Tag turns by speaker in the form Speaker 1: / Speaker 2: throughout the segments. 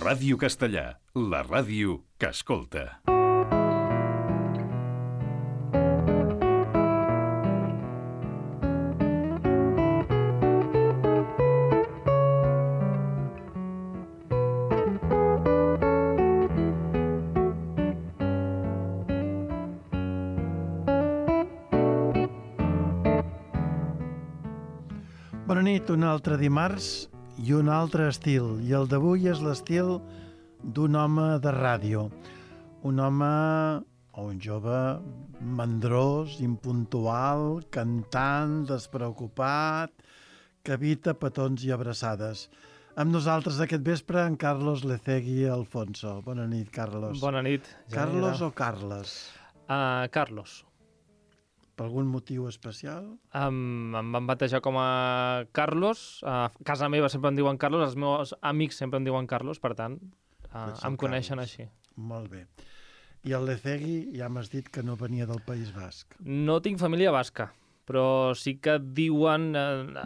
Speaker 1: Ràdio Castellà, la ràdio que escolta.
Speaker 2: Bona nit, un altre dimarts i un altre estil. I el d'avui és l'estil d'un home de ràdio. Un home o un jove mandrós, impuntual, cantant, despreocupat, que evita petons i abraçades. Amb nosaltres aquest vespre en Carlos Lecegui Alfonso. Bona nit, Carlos.
Speaker 3: Bona nit.
Speaker 2: Carlos o Carles?
Speaker 3: Carlos.
Speaker 2: Per algun motiu especial?
Speaker 3: Em van batejar com a Carlos. A casa meva sempre em diuen Carlos, els meus amics sempre em diuen Carlos, per tant, em coneixen
Speaker 2: Carlos.
Speaker 3: així.
Speaker 2: Molt bé. I el Lecegui ja m'has dit que no venia del País Basc.
Speaker 3: No tinc família basca, però sí que diuen,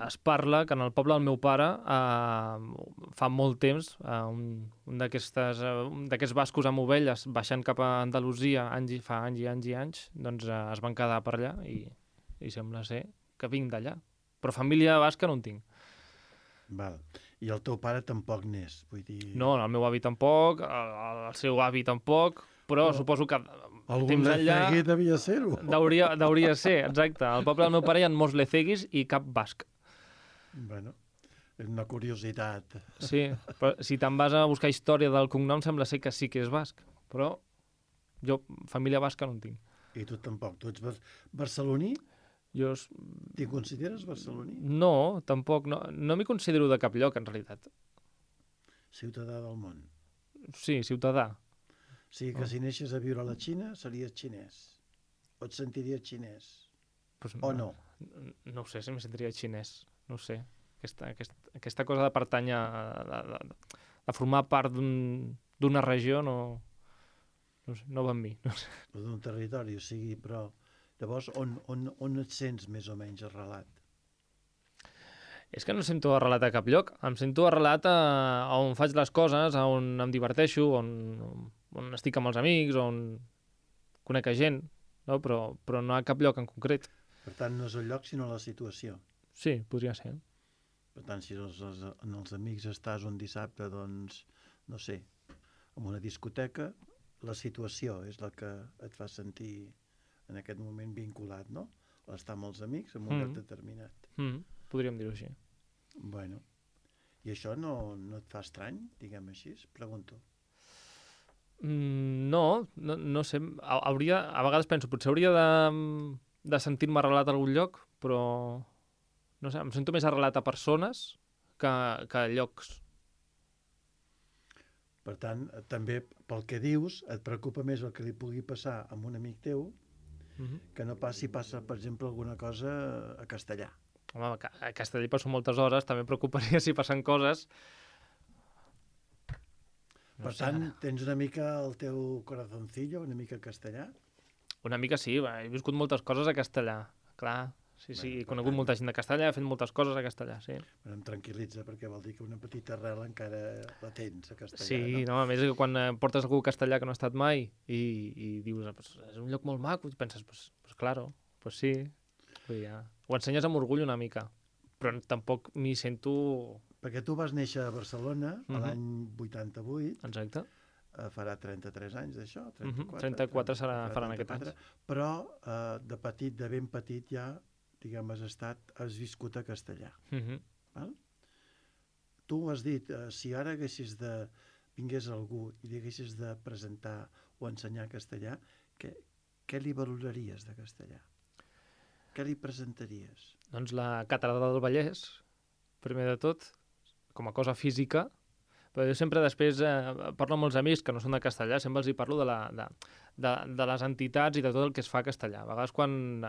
Speaker 3: es parla, que en el poble del meu pare fa molt temps, un d'aquests bascos amb ovelles baixant cap a Andalusia fa anys i anys i anys, doncs es van quedar per allà i sembla ser que vinc d'allà. Però família basca no en tinc.
Speaker 2: Val. I el teu pare tampoc n'és, vull dir...
Speaker 3: No, el meu avi tampoc, el seu avi tampoc, però suposo que
Speaker 2: algun
Speaker 3: temps enllà
Speaker 2: Lecegui devia ser-ho.
Speaker 3: Deuria ser, exacte. Al poble del meu pare hi ha molts Leceguis i cap basc.
Speaker 2: Bueno, és una curiositat.
Speaker 3: Sí, però si te'n vas a buscar història del cognom sembla ser que sí que és basc, però jo família basca no en tinc.
Speaker 2: I tu tampoc. Tu ets barceloní?
Speaker 3: Jo...
Speaker 2: T'hi consideres barceloní?
Speaker 3: No, tampoc. No m'hi considero de cap lloc, en realitat.
Speaker 2: Ciutadà del món.
Speaker 3: Sí, ciutadà.
Speaker 2: O sigui que si neixes a viure a la Xina series xinès. O et sentiries xinès.
Speaker 3: Pues
Speaker 2: o no?
Speaker 3: No ho sé, si em sentiria xinès. No ho sé. Aquesta cosa de pertànyer, de formar part d'una regió, no sé, no va amb mi. No sé.
Speaker 2: O d'un territori, o sigui, però... Llavors, on et sents més o menys arrelat?
Speaker 3: És que no em sento arrelat a cap lloc. Em sento arrelat a on faig les coses, a on em diverteixo, on estic amb els amics, on conec gent, no? Però no a cap lloc en concret.
Speaker 2: Per tant, no és el lloc, sinó la situació.
Speaker 3: Sí, podria ser.
Speaker 2: Per tant, si en els amics estàs un dissabte, doncs, no sé, en una discoteca, la situació és la que et fa sentir en aquest moment vinculat, no? Estar amb els amics en un lloc determinat.
Speaker 3: Podríem dir-ho així.
Speaker 2: Bueno, i això no et fa estrany, diguem així? Pregunto.
Speaker 3: No sé. A vegades penso, potser hauria de sentir-me arrelat a algun lloc, però no sé, em sento més arrelat a persones que a llocs.
Speaker 2: Per tant, també pel que dius, et preocupa més el que li pugui passar a un amic teu que no pas si passa, per exemple, alguna cosa a Castellà.
Speaker 3: Home, a Castellà hi passo moltes hores, també em preocuparia si passen coses.
Speaker 2: Per tant, tens una mica el teu corazoncillo, una mica castellà?
Speaker 3: Una mica sí, he viscut moltes coses a Castellà, clar. Sí, he conegut molta gent de Castellà, he fet moltes coses a Castellà, sí.
Speaker 2: Em tranquil·litza, perquè vol dir que una petita arrel encara la tens a Castellà,
Speaker 3: sí, no? A més, quan portes algú a Castellà que no ha estat mai i dius, pues, és un lloc molt maco, i penses, pues claro, pues sí. Ho ensenyes amb orgull una mica, però tampoc m'hi sento...
Speaker 2: Perquè tu vas néixer a Barcelona l'any 88.
Speaker 3: Exacte.
Speaker 2: Farà 33 anys d'això, 34.
Speaker 3: 34 faran aquest any.
Speaker 2: Però de petit, de ben petit ja, diguem, has viscut a Castellà. Val? Tu has dit, si ara vingués algú i li haguessis de presentar o ensenyar castellà, què li valoraries de castellà? Què li presentaries?
Speaker 3: Doncs la Catedral del Vallès, primer de tot, com a cosa física, però jo sempre després parlo amb molts amics que no són de Castellà, sempre els hi parlo de les entitats i de tot el que es fa a Castellà. A vegades quan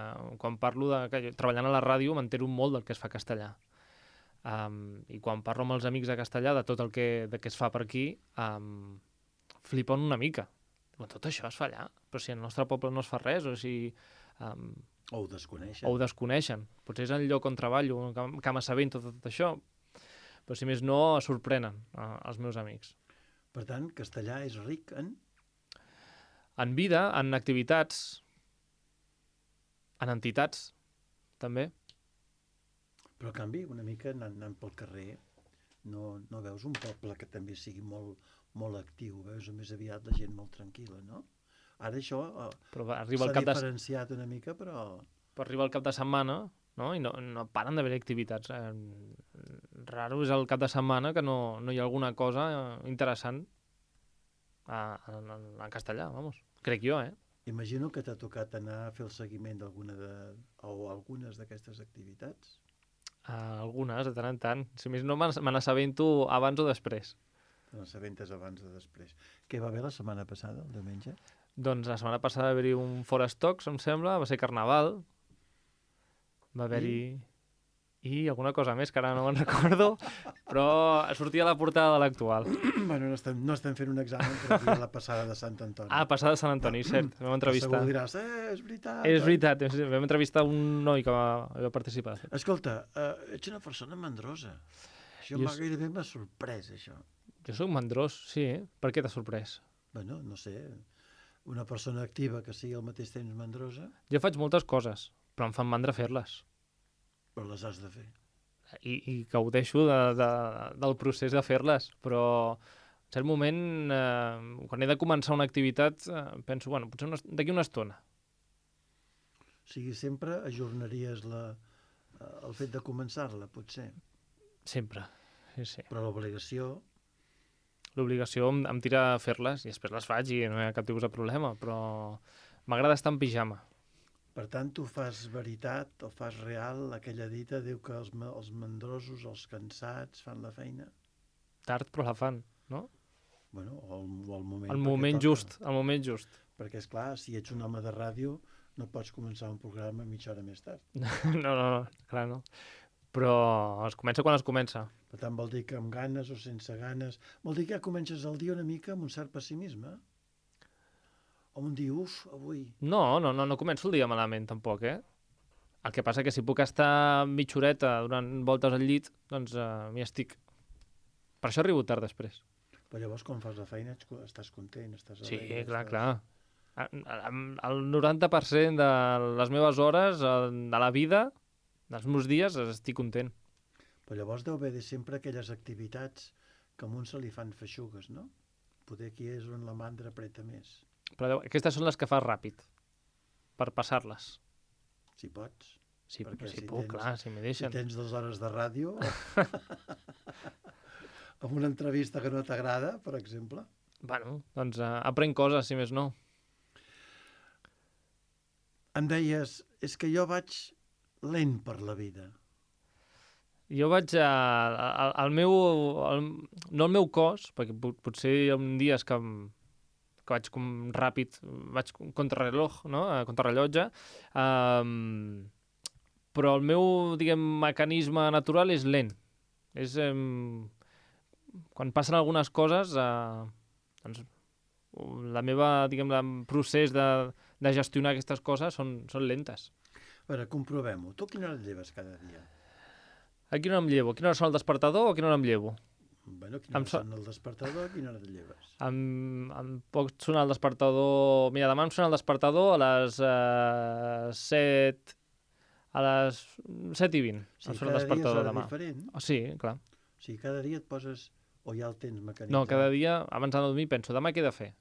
Speaker 3: parlo treballant a la ràdio m'entero molt del que es fa a Castellà. I quan parlo amb els amics de Castellà de tot el que es fa per aquí, flipen una mica. Tot això es fa allà, però si al nostre poble no es fa res, o si...
Speaker 2: O ho desconeixen.
Speaker 3: O ho desconeixen. Potser és el lloc on treballo, que m'assabento tot això, però si més no, sorprenen els meus amics.
Speaker 2: Per tant, castellà és ric en...
Speaker 3: En vida, en activitats, en entitats, també.
Speaker 2: Però, a canvi, una mica anant pel carrer, no veus un poble que també sigui molt actiu, veus més aviat la gent molt tranquil·la, no? Ara això
Speaker 3: Però arriba
Speaker 2: s'ha
Speaker 3: el cap de...
Speaker 2: diferenciat una mica, però...
Speaker 3: Però arriba el cap de setmana, no? I no paren d'haver activitats. Raro és el cap de setmana que no hi ha alguna cosa interessant en castellà, vamos. Crec jo, eh?
Speaker 2: Imagino que t'ha tocat anar a fer el seguiment algunes d'aquestes activitats.
Speaker 3: Algunes, de tant en tant. Si més no, me n'assabento abans o després.
Speaker 2: Te n'assabentes abans o després. Què va haver la setmana passada, el diumenge?
Speaker 3: Doncs la setmana passada va haver-hi un Forest Talks, em sembla, va ser Carnaval, va haver-hi... I alguna cosa més, que ara no me'n recordo, però sortia a la portada de l'actual.
Speaker 2: Bueno, no estem fent un examen, però aquí la passada de Sant Antoni.
Speaker 3: Passada de Sant Antoni, cert. Vam entrevistar...
Speaker 2: Segur diràs, és veritat.
Speaker 3: És veritat, vam entrevistar un noi que va participar.
Speaker 2: Escolta, ets una persona mandrosa. Això gairebé m'ha sorprès, això.
Speaker 3: Jo soc mandrós, sí. Per què t'ha sorprès?
Speaker 2: Bueno, no sé, una persona activa que sigui al mateix temps mandrosa...
Speaker 3: Jo faig moltes coses, però em fan mandra fer-les.
Speaker 2: Però les has de fer.
Speaker 3: I gaudeixo del procés de fer-les, però en cert moment, quan he de començar una activitat, penso, bueno, potser d'aquí una estona.
Speaker 2: O sigui, sempre ajornaries el fet de començar-la, potser.
Speaker 3: Sempre, sí.
Speaker 2: Però l'obligació...
Speaker 3: L'obligació em tira a fer-les i després les faig i no hi ha cap tipus de problema, però m'agrada estar en pijama.
Speaker 2: Per tant, tu fas veritat o fas real aquella dita, diu que els mandrosos, els cansats, fan la feina?
Speaker 3: Tard, però la fan, no?
Speaker 2: Bueno, o el moment...
Speaker 3: El moment just.
Speaker 2: Perquè, esclar, si ets un home de ràdio, no pots començar un programa mitja hora més tard.
Speaker 3: No, clar, no. Però es comença quan es comença.
Speaker 2: Per tant, vol dir que amb ganes o sense ganes... Vol dir que ja comences el dia una mica amb un cert pessimisme? O un dia, avui...
Speaker 3: No començo el dia malament, tampoc, eh? El que passa que si puc estar mitja horeta donant voltes al llit, doncs m'hi estic. Per això arribo tard després.
Speaker 2: Però llavors, quan fas la feina, estàs content, estàs
Speaker 3: alegre. Sí, clar. El 90% de les meves hores, de la vida, dels meus dies, estic content.
Speaker 2: Però llavors deu haver sempre aquelles activitats que a un se li fan feixugues, no? Poder aquí és on la mandra apreta més.
Speaker 3: Però aquestes són les que fas ràpid, per passar-les.
Speaker 2: Si pots.
Speaker 3: Si puc, clar, si m'hi deixen.
Speaker 2: Si tens 2 hores de ràdio, amb una entrevista que no t'agrada, per exemple.
Speaker 3: Bueno, doncs aprenc coses, si més no.
Speaker 2: Em deies, és que jo vaig lent per la vida.
Speaker 3: Jo vaig no el meu cos, perquè potser hi ha dies que vaig com ràpid, vaig contrarreloj, no? Contrarrellotge, però el meu, mecanisme natural és lent. És, quan passen algunes coses, doncs, la meva, procés de gestionar aquestes coses són lentes.
Speaker 2: A veure, comprovem-ho. Tu a quina hora et lleves cada dia?
Speaker 3: A quina hora em llevo? A quina hora sona el despertador o a quina hora em llevo?
Speaker 2: Bueno, a quina hora sona el despertador, a quina hora et lleves?
Speaker 3: Em pot sonar el despertador... Mira, demà em sona el despertador a les 7... A les 7:20.
Speaker 2: Sí,
Speaker 3: em sona el despertador demà.
Speaker 2: Diferent.
Speaker 3: Sí, clar.
Speaker 2: O sigui, cada dia et poses... O ja el tens mecanitzat?
Speaker 3: No, cada dia, abans de dormir, penso, demà què he de fer?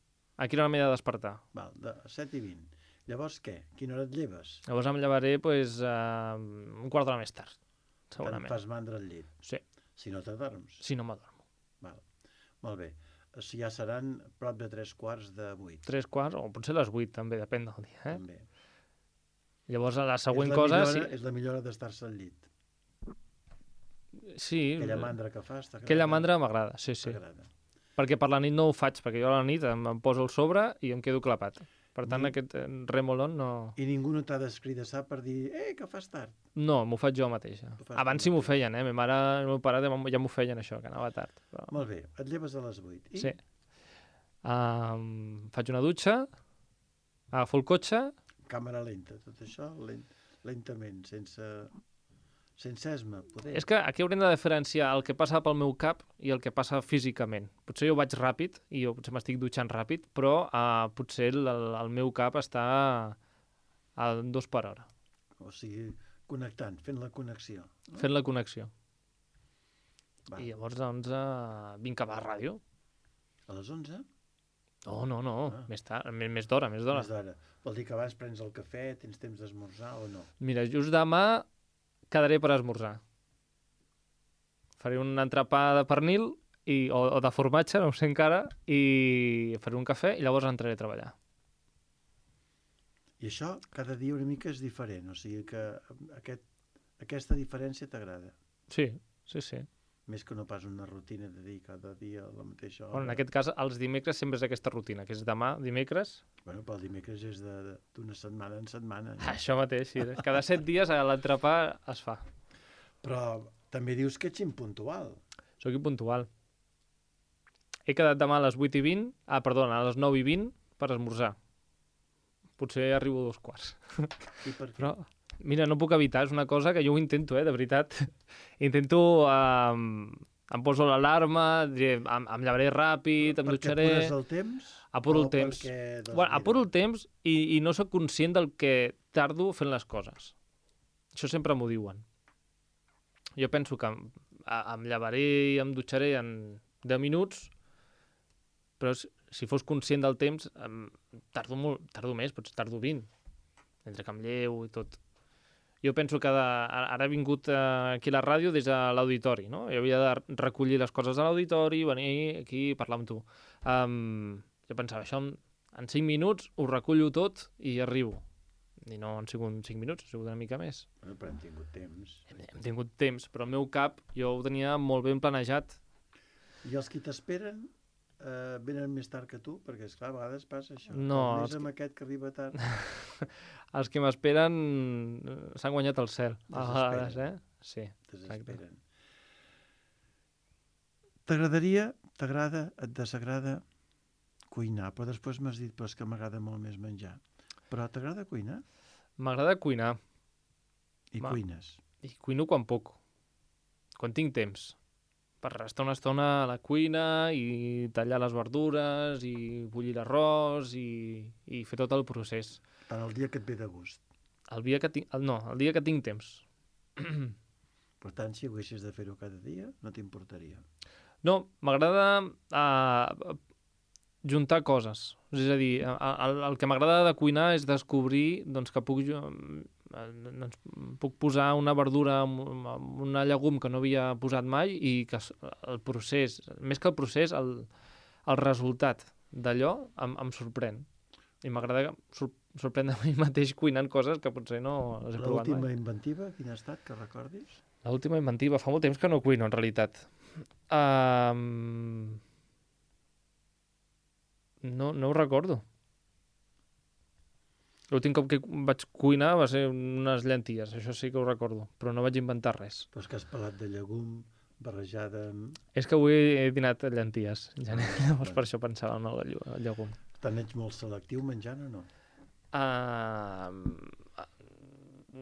Speaker 3: A quina hora m'he de despertar?
Speaker 2: Val, de 7:20. Llavors què? A quina hora et lleves?
Speaker 3: Llavors em llevaré, un quart d'hora més tard, segurament.
Speaker 2: Te'n fas mandra al llit?
Speaker 3: Sí.
Speaker 2: Si no t'adorms?
Speaker 3: Si no m'adormo.
Speaker 2: Val. Molt bé. Ja seran prop de 3:15.
Speaker 3: 3:15, o potser les 8, també, depèn del dia.
Speaker 2: També.
Speaker 3: Llavors, la següent cosa...
Speaker 2: És la millor hora d'estar-se al llit.
Speaker 3: Sí.
Speaker 2: Aquella mandra que fas, t'agrada?
Speaker 3: Aquella mandra m'agrada, sí.
Speaker 2: T'agrada.
Speaker 3: Perquè per la nit no ho faig, perquè jo a la nit em poso el sobre i em quedo clapat. Per tant, aquest remolon no...
Speaker 2: I ningú no t'ha d'escridassar per dir que fas tard?
Speaker 3: No, m'ho faig jo mateixa. Abans sí m'ho feien, Ma mare i el meu pare ja m'ho feien, això, que anava tard. Però...
Speaker 2: Molt bé, et lleves a les 8. I?
Speaker 3: Sí. Faig una dutxa, agafo el cotxe...
Speaker 2: Càmera lenta, tot això, lentament, sense sense esma, poder.
Speaker 3: És que aquí haurem de diferenciar el que passa pel meu cap i el que passa físicament. Potser jo vaig ràpid i jo potser m'estic dutxant ràpid, però potser el meu cap està a 2 per hora,
Speaker 2: O sigui, connectant, fent la connexió. No?
Speaker 3: fent la connexió.
Speaker 2: Va.
Speaker 3: I llavors, doncs, vinc cap a la ràdio.
Speaker 2: A les 11?
Speaker 3: No,
Speaker 2: Ah.
Speaker 3: més tard, més d'hora.
Speaker 2: Més d'hora. Vol dir que abans prens el cafè, tens temps d'esmorzar o no?
Speaker 3: Mira, just demà quedaré per esmorzar. Faré un entrepà de pernil o de formatge, no ho sé encara, i faré un cafè i llavors entraré a treballar.
Speaker 2: I això cada dia una mica és diferent, o sigui que aquesta diferència t'agrada.
Speaker 3: Sí.
Speaker 2: Més que no pas una rutina de dir cada dia la mateixa hora.
Speaker 3: Bueno, en aquest cas, els dimecres sempre és aquesta rutina, que és demà, dimecres.
Speaker 2: Bueno, però el dimecres és d'una setmana en setmana. No?
Speaker 3: Això mateix, sí. Cada 7 dies l'entrepà es fa.
Speaker 2: Però també dius que ets impuntual.
Speaker 3: Soc impuntual. He quedat demà a les 8:20, a les 9:20 per esmorzar. Potser arribo a 2:15.
Speaker 2: I per què?
Speaker 3: Però, mira, no puc evitar, és una cosa que jo ho intento, de veritat. Intento, em poso l'alarma, em llevaré ràpid, em dutxaré...
Speaker 2: Perquè apures el temps?
Speaker 3: Apuro el
Speaker 2: o
Speaker 3: temps.
Speaker 2: perquè, doncs,
Speaker 3: Bueno,
Speaker 2: mira,
Speaker 3: apuro el temps i no sóc conscient del que tardo fent les coses. Això sempre m'ho diuen. Jo penso que em llevaré i em dutxaré en 10 minuts, però si fos conscient del temps, tardo més, potser tardo 20, entre que em llevo i tot. Jo penso que ara he vingut aquí a la ràdio des de l'auditori, no? Jo havia de recollir les coses de l'auditori, venir aquí i parlar amb tu. Jo pensava, això en 5 minuts ho recullo tot i arribo. I no han sigut 5 minuts, ha sigut una mica més.
Speaker 2: Bueno, però hem tingut temps.
Speaker 3: Hem tingut temps, però el meu cap jo ho tenia molt ben planejat.
Speaker 2: I els qui t'esperen venen més tard que tu? Perquè, esclar, a vegades passa això.
Speaker 3: No,
Speaker 2: Més amb aquest que arriba tard.
Speaker 3: Els que m'esperen s'han guanyat el cel. A
Speaker 2: Desesperen.
Speaker 3: vegades, Sí, exacte.
Speaker 2: Desesperen. T'agradaria, t'agrada, et desagrada cuinar, però després m'has dit però és que m'agrada molt més menjar. Però t'agrada cuinar?
Speaker 3: M'agrada cuinar.
Speaker 2: I cuines.
Speaker 3: I cuino quan puc. Quan tinc temps. Per estar una estona a la cuina i tallar les verdures i bullir l'arròs i fer tot el procés.
Speaker 2: Tant el dia que et ve de gust.
Speaker 3: El dia que tinc temps.
Speaker 2: Per tant, si haguessis de fer-ho cada dia, no t'importaria.
Speaker 3: No, m'agrada juntar coses. És a dir, el que m'agrada de cuinar és descobrir doncs, que puc posar una verdura amb una llegum que no havia posat mai i que el procés, més que el procés, el resultat d'allò em sorprèn. I m'agrada sorprendre a mi mateix cuinant coses que potser no les he provat
Speaker 2: L'última
Speaker 3: mai.
Speaker 2: inventiva, quina ha estat, que recordis?
Speaker 3: L'última inventiva, fa molt temps que no cuino, en realitat. No ho recordo. L'últim cop que vaig cuinar va ser unes llenties, això sí que ho recordo, però no vaig inventar res.
Speaker 2: Però és que has pelat de llegum barrejada amb...
Speaker 3: És que avui he dinat llenties, llavors per això pensava en el llegum.
Speaker 2: Tant ets molt selectiu menjant o no?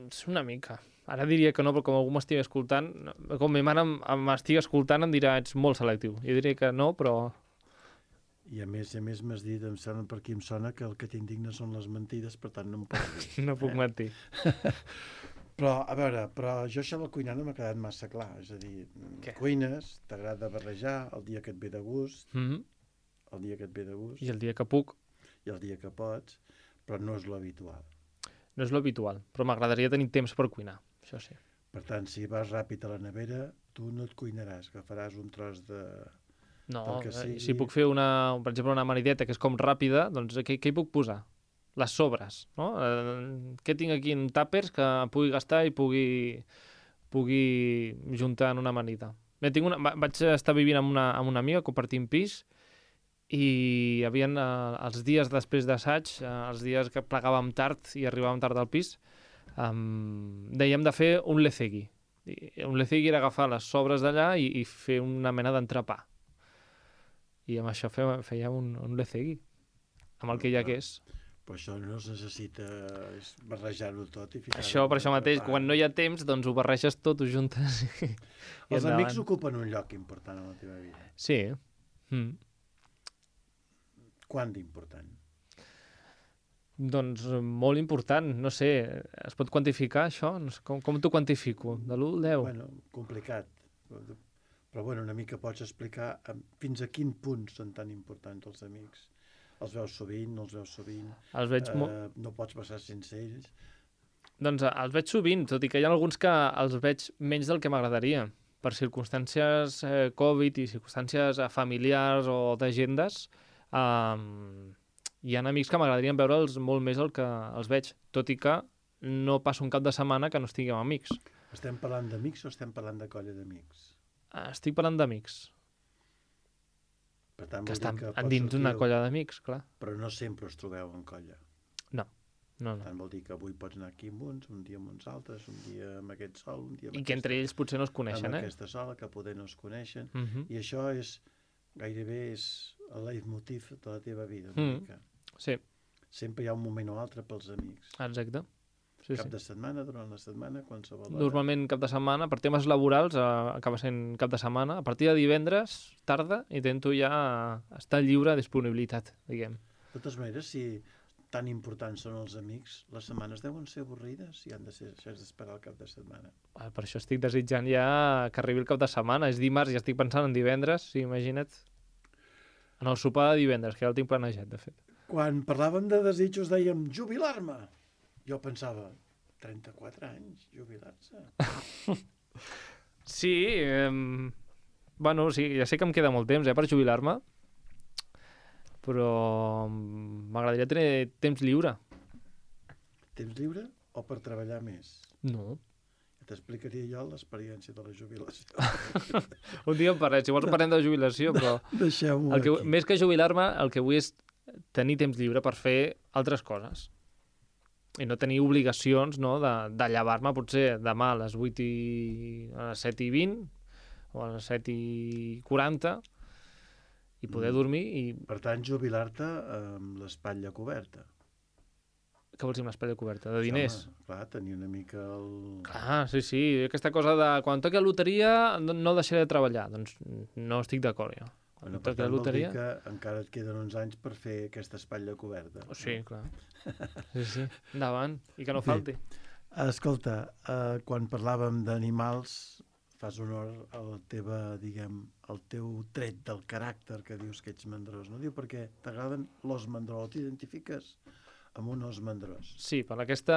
Speaker 3: És una mica. Ara diria que no, però com algú m'estigui escoltant, com ma mare m'estigui escoltant em dirà ets molt selectiu. Jo diria que no, però...
Speaker 2: I a més m'has dit, em sembla per aquí em sona que el que t'indigna són les mentides, per tant no em pots dir.
Speaker 3: No puc mentir.
Speaker 2: Però, a veure, jo això del cuinar no m'ha quedat massa clar. És a dir, cuines, t'agrada barrejar el dia que et ve de gust, el dia que et ve de gust,
Speaker 3: I el dia que puc.
Speaker 2: i el dia que pots, però no és l'habitual.
Speaker 3: No és l'habitual, però m'agradaria tenir temps per cuinar, això sí.
Speaker 2: Per tant, si vas ràpid a la nevera, tu no et cuinaràs, agafaràs un tros de...
Speaker 3: No,
Speaker 2: que sigui...
Speaker 3: si puc fer, per exemple, una marideta que és com ràpida, doncs què hi puc posar? Les sobres, no? Què tinc aquí en tàpers que pugui gastar i pugui juntar en una amanida? Bé, vaig estar vivint amb una amiga, compartint pis, i hi havia els dies després d'assaig, els dies que plegàvem tard i arribàvem tard al pis, dèiem de fer un lecegui. Un lecegui era agafar les sobres d'allà i fer una mena d'entrepà. I amb això fèiem un lecegui, amb el que hi hagués.
Speaker 2: Però això no es necessita barrejar-ho tot i ficar-ho...
Speaker 3: Això, per això mateix,
Speaker 2: entrepà.
Speaker 3: quan no hi ha temps, doncs ho barreges tot, ho juntes i
Speaker 2: Els
Speaker 3: endavant.
Speaker 2: amics ocupen un lloc important en la teva vida.
Speaker 3: Sí. Mm.
Speaker 2: Quant d'important?
Speaker 3: Doncs molt important, no sé, es pot quantificar això? No sé, com t'ho quantifico? De l'1 al 10?
Speaker 2: Bueno, complicat. Però bueno, una mica pots explicar fins a quin punt són tan importants els amics. Els veus sovint, no els veus sovint,
Speaker 3: Els veig
Speaker 2: no pots passar sense ells.
Speaker 3: Doncs els veig sovint, tot i que hi ha alguns que els veig menys del que m'agradaria. Per circumstàncies Covid i circumstàncies familiars o d'agendes, hi ha amics que m'agradarien veure'ls molt més del que els veig, tot i que no passo un cap de setmana que no estigui amb amics.
Speaker 2: Estem parlant d'amics o estem parlant de colla d'amics?
Speaker 3: Estic parlant d'amics,
Speaker 2: Per tant,
Speaker 3: que
Speaker 2: vol dir
Speaker 3: estan
Speaker 2: que pots
Speaker 3: dins d'una
Speaker 2: sortir,
Speaker 3: colla d'amics, clar.
Speaker 2: però no sempre us trobeu en colla.
Speaker 3: No.
Speaker 2: Per tant, vol dir que avui pots anar aquí amb uns, un dia amb uns altres, un dia amb aquest sol, un dia amb
Speaker 3: I que entre ells potser no es coneixen,
Speaker 2: amb
Speaker 3: eh?
Speaker 2: aquesta sola, que poder no es coneixen.
Speaker 3: Mhm.
Speaker 2: I això és, gairebé és el leitmotiv de la teva vida, una mica.
Speaker 3: Sí,
Speaker 2: Sempre hi ha un moment o altre pels amics.
Speaker 3: exacte. Sí,
Speaker 2: Cap
Speaker 3: sí.
Speaker 2: de setmana, durant la setmana, qualsevol hora.
Speaker 3: Normalment cap de setmana, per temes laborals, acaba sent cap de setmana. A partir de divendres, tarda, intento ja estar lliure de disponibilitat, diguem.
Speaker 2: De totes maneres, si tan importants són els amics, les setmanes deuen ser avorrides i han de ser, si has d'esperar el cap de setmana.
Speaker 3: Per això estic desitjant ja que arribi el cap de setmana. És dimarts i estic pensant en divendres, sí, imagina't. En el sopar de divendres, que ja el tinc planejat, de fet.
Speaker 2: Quan parlàvem de desitjos dèiem jubilar-me. Jo pensava, 34 anys, jubilar-se.
Speaker 3: Sí, bueno, sí, ja sé que em queda molt temps per jubilar-me, però m'agradaria tenir temps lliure.
Speaker 2: Temps lliure o per treballar més?
Speaker 3: No.
Speaker 2: Ja t'explicaria jo l'experiència de la jubilació.
Speaker 3: Un dia en parlem, si vols parlem de jubilació, però
Speaker 2: Deixeu-m'ho aquí.
Speaker 3: més que jubilar-me, el que vull és tenir temps lliure per fer altres coses. I no tenir obligacions, no, de llevar-me potser demà a les 7 i 20 o a les 7 i 40 i poder dormir i...
Speaker 2: Per tant, jubilar-te amb l'espatlla coberta.
Speaker 3: Què vols dir amb l'espatlla coberta? De diners?
Speaker 2: Home, clar, tenir una mica el...
Speaker 3: Clar, sí, sí. Aquesta cosa de quan toqui la loteria no deixaré de treballar. Doncs no estic d'acord, jo.
Speaker 2: Bueno,
Speaker 3: Quan
Speaker 2: per
Speaker 3: toqui la
Speaker 2: tant, vol dir
Speaker 3: loteria...
Speaker 2: que encara et queden uns anys per fer aquesta espatlla coberta.
Speaker 3: Sí, clar. Sí, sí. Endavant. I que no
Speaker 2: Bé.
Speaker 3: falti.
Speaker 2: Escolta, quan parlàvem d'animals, fas honor a la teva, diguem, al teu tret del caràcter que dius que ets mandrós. No diu perquè t'agraden l'os mandrós, t'identifiques amb un os mandrós.
Speaker 3: Sí, per aquesta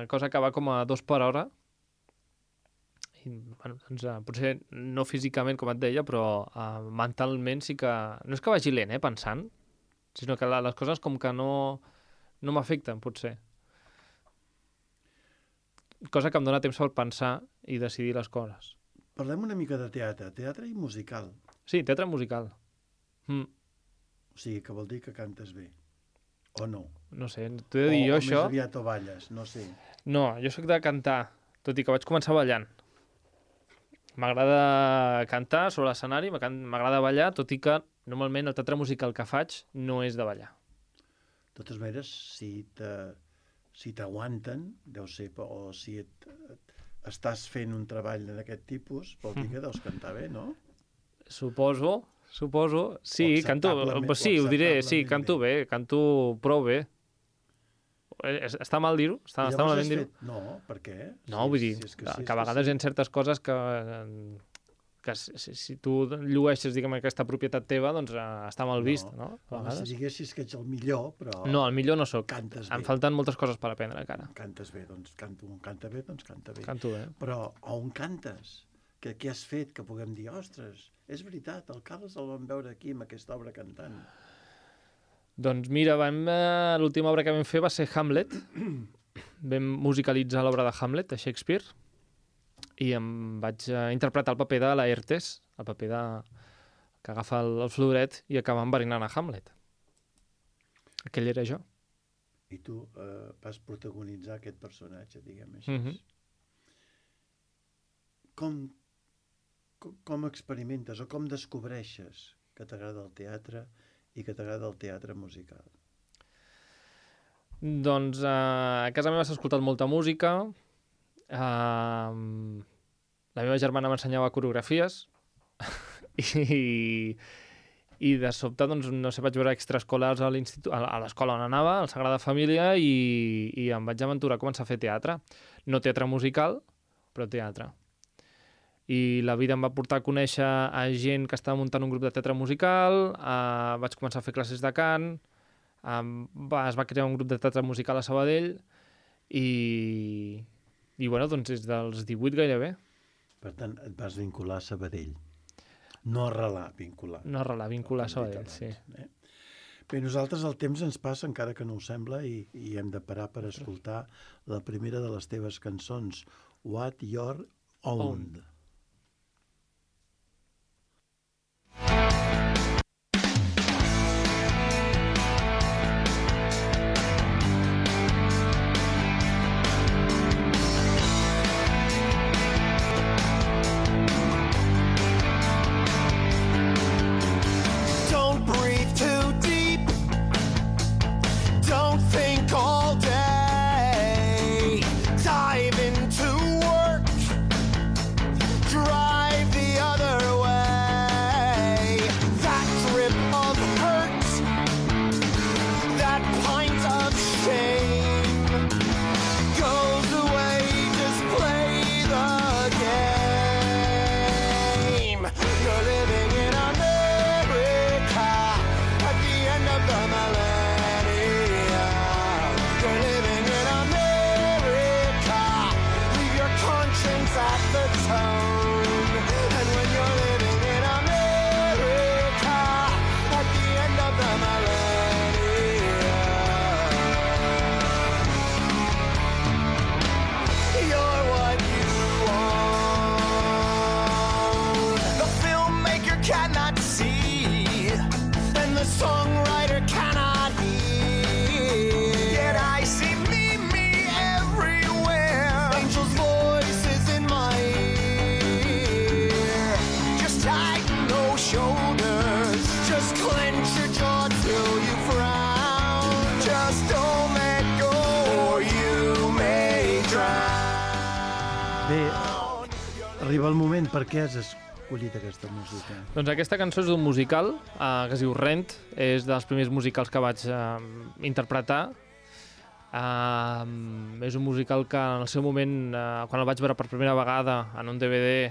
Speaker 3: cosa que va com a 2 per hora. I, bueno, doncs, potser no físicament, com et deia, però mentalment sí que... No és que vagi lent, pensant, sinó que les coses com que no m'afecten, potser. Cosa que em dona temps per pensar i decidir les coses.
Speaker 2: Parlem una mica de teatre i musical.
Speaker 3: Sí, teatre musical.
Speaker 2: O sigui, que vol dir que cantes bé. O no.
Speaker 3: No sé, t'ho he de dir jo,
Speaker 2: o
Speaker 3: això...
Speaker 2: més aviat o balles, no sé.
Speaker 3: No, jo sóc de cantar, tot i que vaig començar ballant. M'agrada cantar sobre l'escenari, m'agrada ballar, tot i que normalment el teatre musical que faig no és de ballar.
Speaker 2: De totes maneres, si t'aguanten, deu ser, o si estàs fent un treball d'aquest tipus, vol dir que deus cantar bé, no?
Speaker 3: Suposo. Sí, canto,
Speaker 2: Acceptablement-
Speaker 3: sí, ho diré, sí,
Speaker 2: acceptablement
Speaker 3: canto bé, canto prou bé. Està mal dir-ho? Està
Speaker 2: I llavors
Speaker 3: malament
Speaker 2: has
Speaker 3: dir-ho?
Speaker 2: fet... No, per què?
Speaker 3: No, vull dir,
Speaker 2: és
Speaker 3: que
Speaker 2: sí,
Speaker 3: a vegades hi ha certes coses que si tu llueixes, diguem, aquesta propietat teva, doncs està mal vist, no? A
Speaker 2: Home,
Speaker 3: vegades.
Speaker 2: si diguessis que ets el millor, però...
Speaker 3: No, el millor no sóc.
Speaker 2: Cantes bé.
Speaker 3: Em falten moltes coses per aprendre, encara.
Speaker 2: Cantes bé, doncs canta bé, doncs canta bé.
Speaker 3: Canto bé.
Speaker 2: Però on cantes? Què has fet que puguem dir, ostres, és veritat, el Carles el vam veure aquí amb aquesta obra cantant.
Speaker 3: Doncs mira, l'última obra que vam fer va ser Hamlet. Vam musicalitzar l'obra de Hamlet, de Shakespeare, i em vaig interpretar el paper de Laertes, el paper que agafa el floret i acaba enverinant a Hamlet. Aquell era jo.
Speaker 2: I tu vas protagonitzar aquest personatge, diguem així. Com experimentes o com descobreixes que t'agrada el teatre i que t'agrada el teatre musical?
Speaker 3: Doncs a casa meva s'ha escoltat molta música. La meva germana m'ensenyava coreografies i de sobte, doncs, no sé, vaig veure extraescolars a l'institut, a l'escola on anava, al Sagrada Família, i em vaig aventurar a començar a fer teatre. No teatre musical, però teatre. I la vida em va portar a conèixer a gent que estava muntant un grup de teatre musical, vaig començar a fer classes de cant, es va crear un grup de teatre musical a Sabadell i bueno, doncs des dels 18 gairebé.
Speaker 2: Per tant, et vas vincular a Sabadell. No arrelar, vincular.
Speaker 3: No arrelar, vincular a Sabadell, sí.
Speaker 2: Bé, nosaltres el temps ens passa, encara que no ho sembla, i hem de parar per escoltar la primera de les teves cançons, What Your Own. Arriba el moment. Per què has escollit aquesta música?
Speaker 3: Doncs aquesta cançó és d'un musical que es diu Rent. És dels primers musicals que vaig interpretar. És un musical que en el seu moment, quan el vaig veure per primera vegada en un DVD,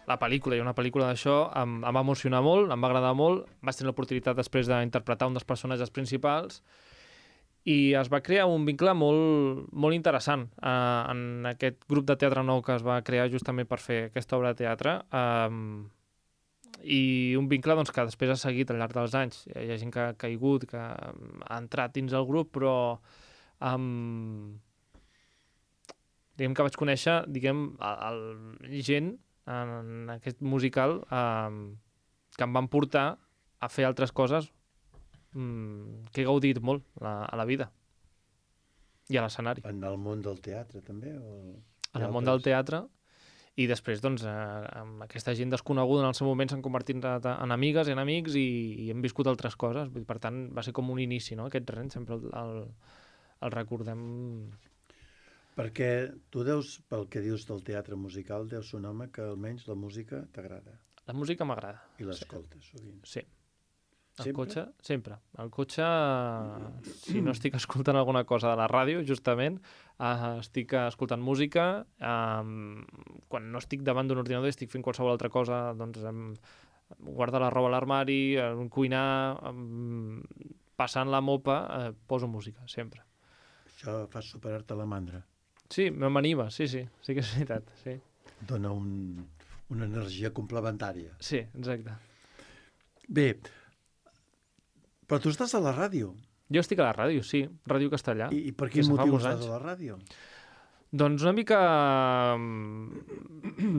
Speaker 3: la pel·lícula, hi ha una pel·lícula d'això, em va emocionar molt, em va agradar molt. Vaig tenir l'oportunitat després d'interpretar un dels personatges principals i es va crear un vincle molt, molt interessant en aquest grup de teatre nou que es va crear justament per fer aquesta obra de teatre, i un vincle doncs, que després ha seguit al llarg dels anys. Hi ha gent que ha caigut, que ha entrat dins el grup, però diguem que vaig conèixer gent en aquest musical que em van portar a fer altres coses que he gaudit molt a la vida i a l'escenari.
Speaker 2: En el món del teatre, també?
Speaker 3: En el món del teatre, i després, doncs, amb aquesta gent desconeguda en el seu moment s'han convertit en amigues i en amics i hem viscut altres coses. Per tant, va ser com un inici, no? Aquest Rent sempre el recordem.
Speaker 2: Perquè tu pel que dius del teatre musical, deus ser un home que almenys la música t'agrada.
Speaker 3: La música m'agrada.
Speaker 2: I l'escoltes sovint.
Speaker 3: Sí. Al cotxe, sempre. Al cotxe, si no estic escoltant alguna cosa de la ràdio, justament, estic escoltant música. Quan no estic davant d'un ordinador i estic fent qualsevol altra cosa, doncs guardar la roba a l'armari, cuinar, passant la mopa, poso música, sempre.
Speaker 2: Això fa superar-te la mandra.
Speaker 3: Sí, m'anima, sí que és veritat, sí.
Speaker 2: Dona una energia complementària.
Speaker 3: Sí, exacte.
Speaker 2: Bé, però tu estàs a la ràdio.
Speaker 3: Jo estic a la ràdio, sí, Ràdio Castellà.
Speaker 2: I per quin motiu estàs a la ràdio?
Speaker 3: Doncs una mica...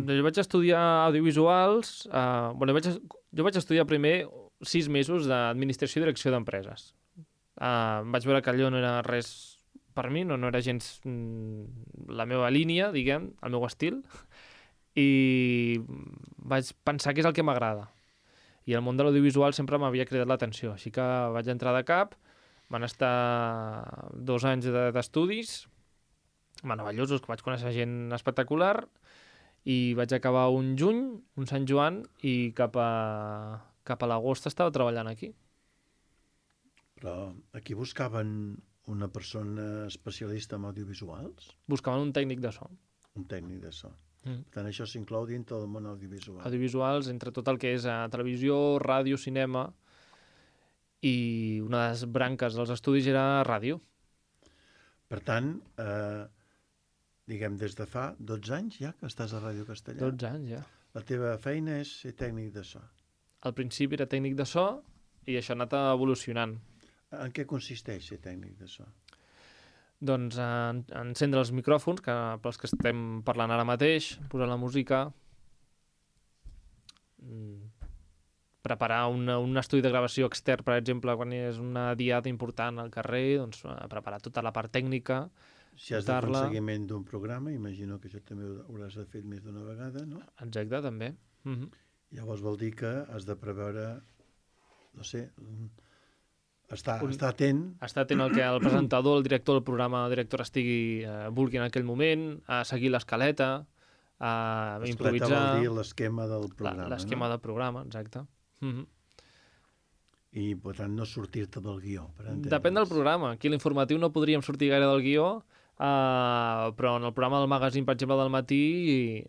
Speaker 3: Jo vaig estudiar audiovisuals... Jo vaig estudiar primer 6 mesos d'administració i direcció d'empreses. Vaig veure que allò no era res per mi, no era gens la meva línia, diguem, el meu estil, i vaig pensar que és el que m'agrada. I el món de l'audiovisual sempre m'havia cridat l'atenció, així que vaig entrar de cap, Van estar 2 anys d'estudis, meravellosos, que vaig conèixer gent espectacular, i vaig acabar un juny, un Sant Joan, i cap a l'agost estava treballant aquí.
Speaker 2: Però aquí buscaven una persona especialista en audiovisuals?
Speaker 3: Buscaven un tècnic de so.
Speaker 2: Un tècnic de so. Per tant, això s'inclou dintre del món audiovisual.
Speaker 3: Audiovisuals, entre tot el que és televisió, ràdio, cinema, i una de les branques dels estudis era ràdio.
Speaker 2: Per tant, diguem, des de fa 12 anys ja que estàs a Ràdio Castellà.
Speaker 3: 12 anys, ja.
Speaker 2: La teva feina és ser tècnic de so.
Speaker 3: Al principi era tècnic de so i això ha anat evolucionant.
Speaker 2: En què consisteix ser tècnic de so?
Speaker 3: Doncs encendre els micròfons, pels que estem parlant ara mateix, posar la música, preparar un estudi de gravació extern, per exemple, quan és una diada important al carrer, doncs preparar tota la part tècnica.
Speaker 2: Si has de fer un seguiment d'un programa, imagino que això també ho hauràs de fer més d'una vegada, no?
Speaker 3: Exacte, també.
Speaker 2: Llavors vol dir que has de preveure, no sé, estar atent.
Speaker 3: Estar atent al que el presentador, el director del programa, el director vulgui en aquell moment, a seguir l'escaleta, a improvisar.
Speaker 2: L'escaleta vol dir l'esquema del programa,
Speaker 3: l'esquema del programa, exacte.
Speaker 2: I, per tant, no sortir-te del guió.
Speaker 3: Depèn del programa. Aquí a l'informatiu no podríem sortir gaire del guió, però en el programa del magazín, per exemple, del matí,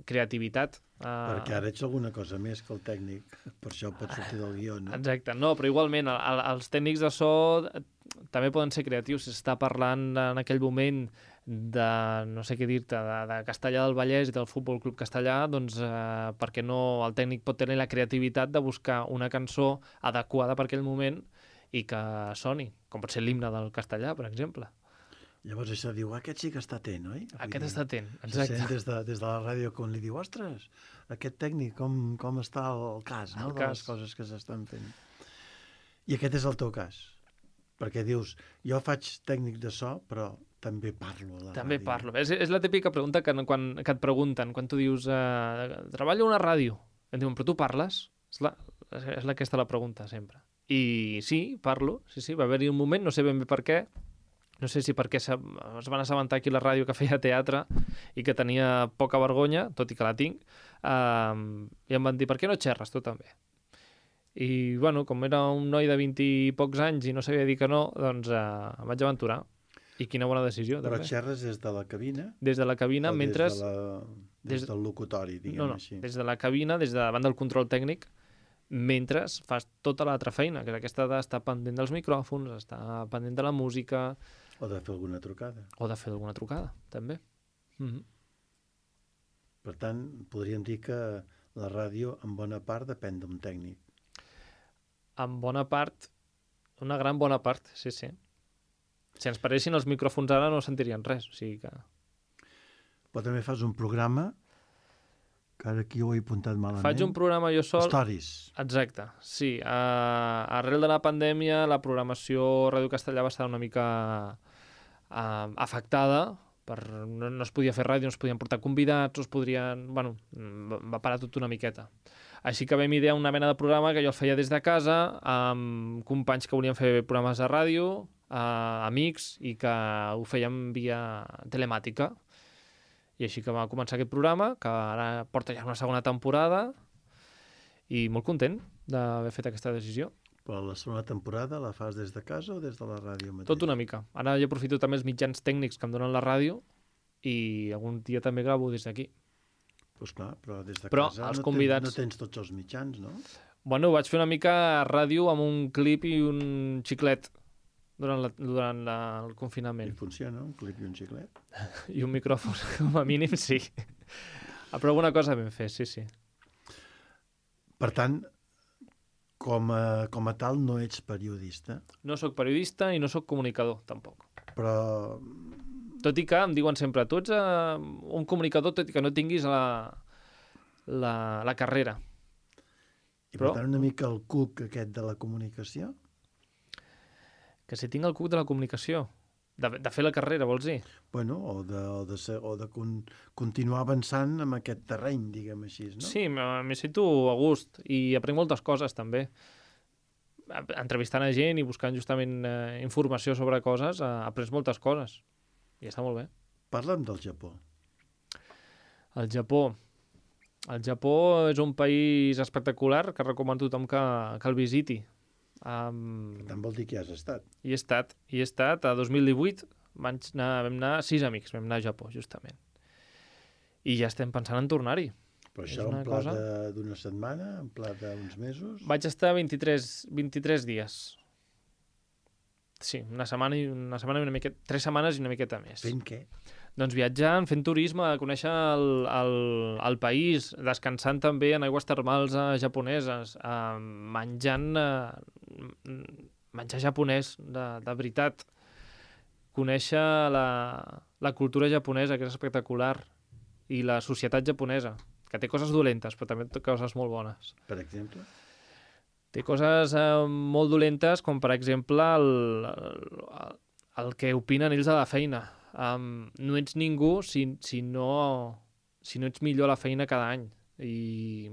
Speaker 3: creativitat.
Speaker 2: Perquè ara ets alguna cosa més que el tècnic, per això pots sortir del guió, no?
Speaker 3: Exacte, no, però igualment els tècnics de so també poden ser creatius. Si s'està parlant en aquell moment de, no sé què dir-te, de Castellà del Vallès i del Futbol Club Castellà, doncs per què no el tècnic pot tenir la creativitat de buscar una cançó adequada per aquell moment i que soni, com pot ser l'himne del Castellà, per exemple.
Speaker 2: Llavors això diu, aquest sí que està atent, oi?
Speaker 3: Aquest està atent,
Speaker 2: exacte. Se sent des de la ràdio com li diu, ostres, aquest tècnic, com està el cas, no? De les coses que s'estan fent. I aquest és el teu cas. Perquè dius, jo faig tècnic de so, però també parlo a la ràdio.
Speaker 3: També parlo. És la típica pregunta que et pregunten quan tu dius, treballo a una ràdio. Et diuen, però tu parles? És aquesta la pregunta, sempre. I sí, parlo. Sí, va haver-hi un moment, no sé ben bé per què, no sé si perquè es van assabentar aquí a la ràdio que feia teatre i que tenia poca vergonya, tot i que la tinc, i em van dir, per què no xerres tu també? I, bueno, com era un noi de 20 i pocs anys i no sabia dir que no, doncs em vaig aventurar. I quina bona decisió,
Speaker 2: també.
Speaker 3: Però
Speaker 2: xerres des de la cabina?
Speaker 3: Des de la cabina, mentre...
Speaker 2: Des del locutori, diguem així.
Speaker 3: Des de la cabina, des de davant del control tècnic, mentre fas tota l'altra feina, que és aquesta d'estar pendent dels micròfons, estar pendent de la música...
Speaker 2: O de fer alguna trucada.
Speaker 3: O de fer alguna trucada, també.
Speaker 2: Per tant, podríem dir que la ràdio, en bona part, depèn d'un tècnic.
Speaker 3: En bona part, una gran bona part, sí. Si ens paressin els micròfons ara no sentirien res, o sigui que...
Speaker 2: Però també fas un programa, que ara aquí ho he apuntat malament.
Speaker 3: Faig un programa jo sol...
Speaker 2: Stories.
Speaker 3: Exacte, sí. Arrel de la pandèmia, la programació a Ràdio Castellà va estar una mica afectada, no es podia fer ràdio, no es podien portar convidats, no es podrien... Bueno, va parar tot una miqueta. Així que vam idear una mena de programa que jo el feia des de casa, amb companys que volien fer programes de ràdio, amics, i que ho fèiem via telemàtica. I així que va començar aquest programa, que ara porta ja una segona temporada, i molt content d'haver fet aquesta decisió.
Speaker 2: Però la segona temporada la fas des de casa o des de la ràdio mateix?
Speaker 3: Tot una mica. Ara jo aprofito també els mitjans tècnics que em donen la ràdio i algun dia també gravo des d'aquí.
Speaker 2: Doncs clar, però des de
Speaker 3: casa els convidats...
Speaker 2: no tens tots els mitjans, no?
Speaker 3: Bueno, vaig fer una mica ràdio amb un clip i un xiclet durant el confinament.
Speaker 2: I funciona, un clip i un xiclet?
Speaker 3: I un micròfon, com a mínim, sí. Però alguna cosa vam fer, sí.
Speaker 2: Per tant, com a tal, no ets periodista?
Speaker 3: No sóc periodista i no sóc comunicador, tampoc.
Speaker 2: Però...
Speaker 3: Tot i que em diuen sempre, tu ets un comunicador tot i que no tinguis la carrera.
Speaker 2: I per tant una mica el cuc aquest de la comunicació?
Speaker 3: Que si tinc el cuc de la comunicació, de fer la carrera, vols dir?
Speaker 2: Bueno, o de continuar avançant en aquest terreny, diguem així, no?
Speaker 3: Sí, m'hi sento a gust i aprenc moltes coses, també. entrevistant a gent i buscant justament informació sobre coses, aprens moltes coses. I està molt bé.
Speaker 2: Parla'm del Japó.
Speaker 3: El Japó. El Japó és un país espectacular que recomano a tothom que el visiti.
Speaker 2: Per tant, vol dir que hi has estat.
Speaker 3: Hi he estat. A 2018 vam anar 6 amics, vam anar a Japó, justament. I ja estem pensant en tornar-hi.
Speaker 2: Però això en pla d'una setmana, en pla d'uns mesos?
Speaker 3: Vaig estar 23 dies. Sí, una setmana i una miqueta... 3 setmanes i una miqueta més.
Speaker 2: Fent què?
Speaker 3: Doncs viatjant, fent turisme, conèixer el país, descansant també en aigües termals japoneses, menjar japonès de veritat, conèixer la cultura japonesa, que és espectacular, i la societat japonesa, que té coses dolentes, però també té coses molt bones.
Speaker 2: Per exemple?
Speaker 3: Té coses molt dolentes, com per exemple el que opinen ells de la feina. No ets ningú si no ets millor a la feina cada any. I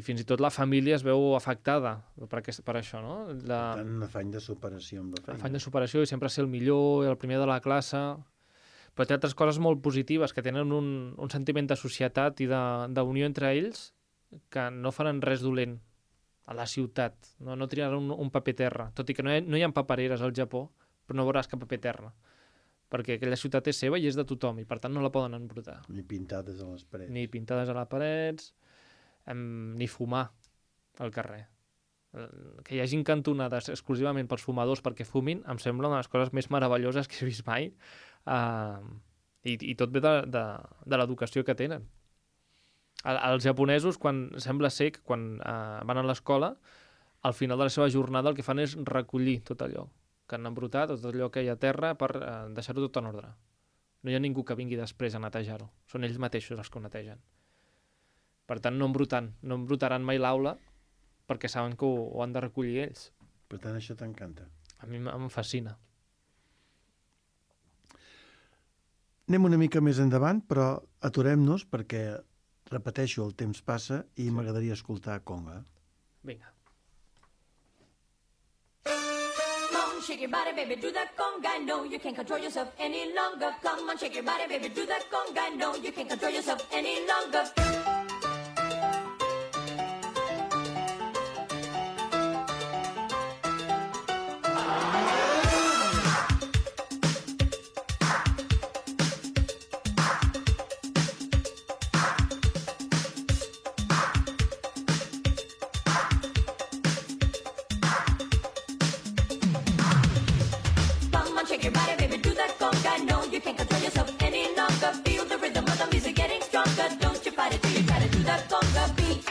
Speaker 3: fins i tot la família es veu afectada per això, no?
Speaker 2: Per tant, un afany de superació amb la feina.
Speaker 3: Afany de superació i sempre ser el millor, el primer de la classe. Però té altres coses molt positives, que tenen un sentiment de societat i d'unió entre ells que no faran res dolent a la ciutat. No tiraran un paper terra. Tot i que no hi ha papereres al Japó, però no veuràs cap paper terra. Perquè aquella ciutat és seva i és de tothom, i per tant no la poden embrutar.
Speaker 2: Ni pintades a les parets.
Speaker 3: Ni pintades a les parets, ni fumar al carrer. Que hi hagin cantonades exclusivament pels fumadors perquè fumin, em sembla una de les coses més meravelloses que he vist mai. I tot ve de l'educació que tenen. Els japonesos, sembla ser que quan van a l'escola, al final de la seva jornada el que fan és recollir tot allò que han embrutat, tot allò que hi ha a terra, per deixar-ho tot en ordre. No hi ha ningú que vingui després a netejar-ho. Són ells mateixos els que ho netegen. Per tant, no embrutaran mai l'aula perquè saben que ho han de recollir ells.
Speaker 2: Per tant, això t'encanta.
Speaker 3: A mi em fascina.
Speaker 2: Anem una mica més endavant, però aturem-nos perquè, repeteixo, el temps passa i m'agradaria escoltar conga.
Speaker 3: Vinga.
Speaker 4: Shake your body, baby, do that conga. No, you can't control yourself any longer. Come on, shake your body, baby, do that conga. No, you can't control yourself any longer. Shake your body, baby, do that conga. No, you can't control yourself any longer. Feel the rhythm of the music getting stronger. Don't you fight it till you try to do that conga beat.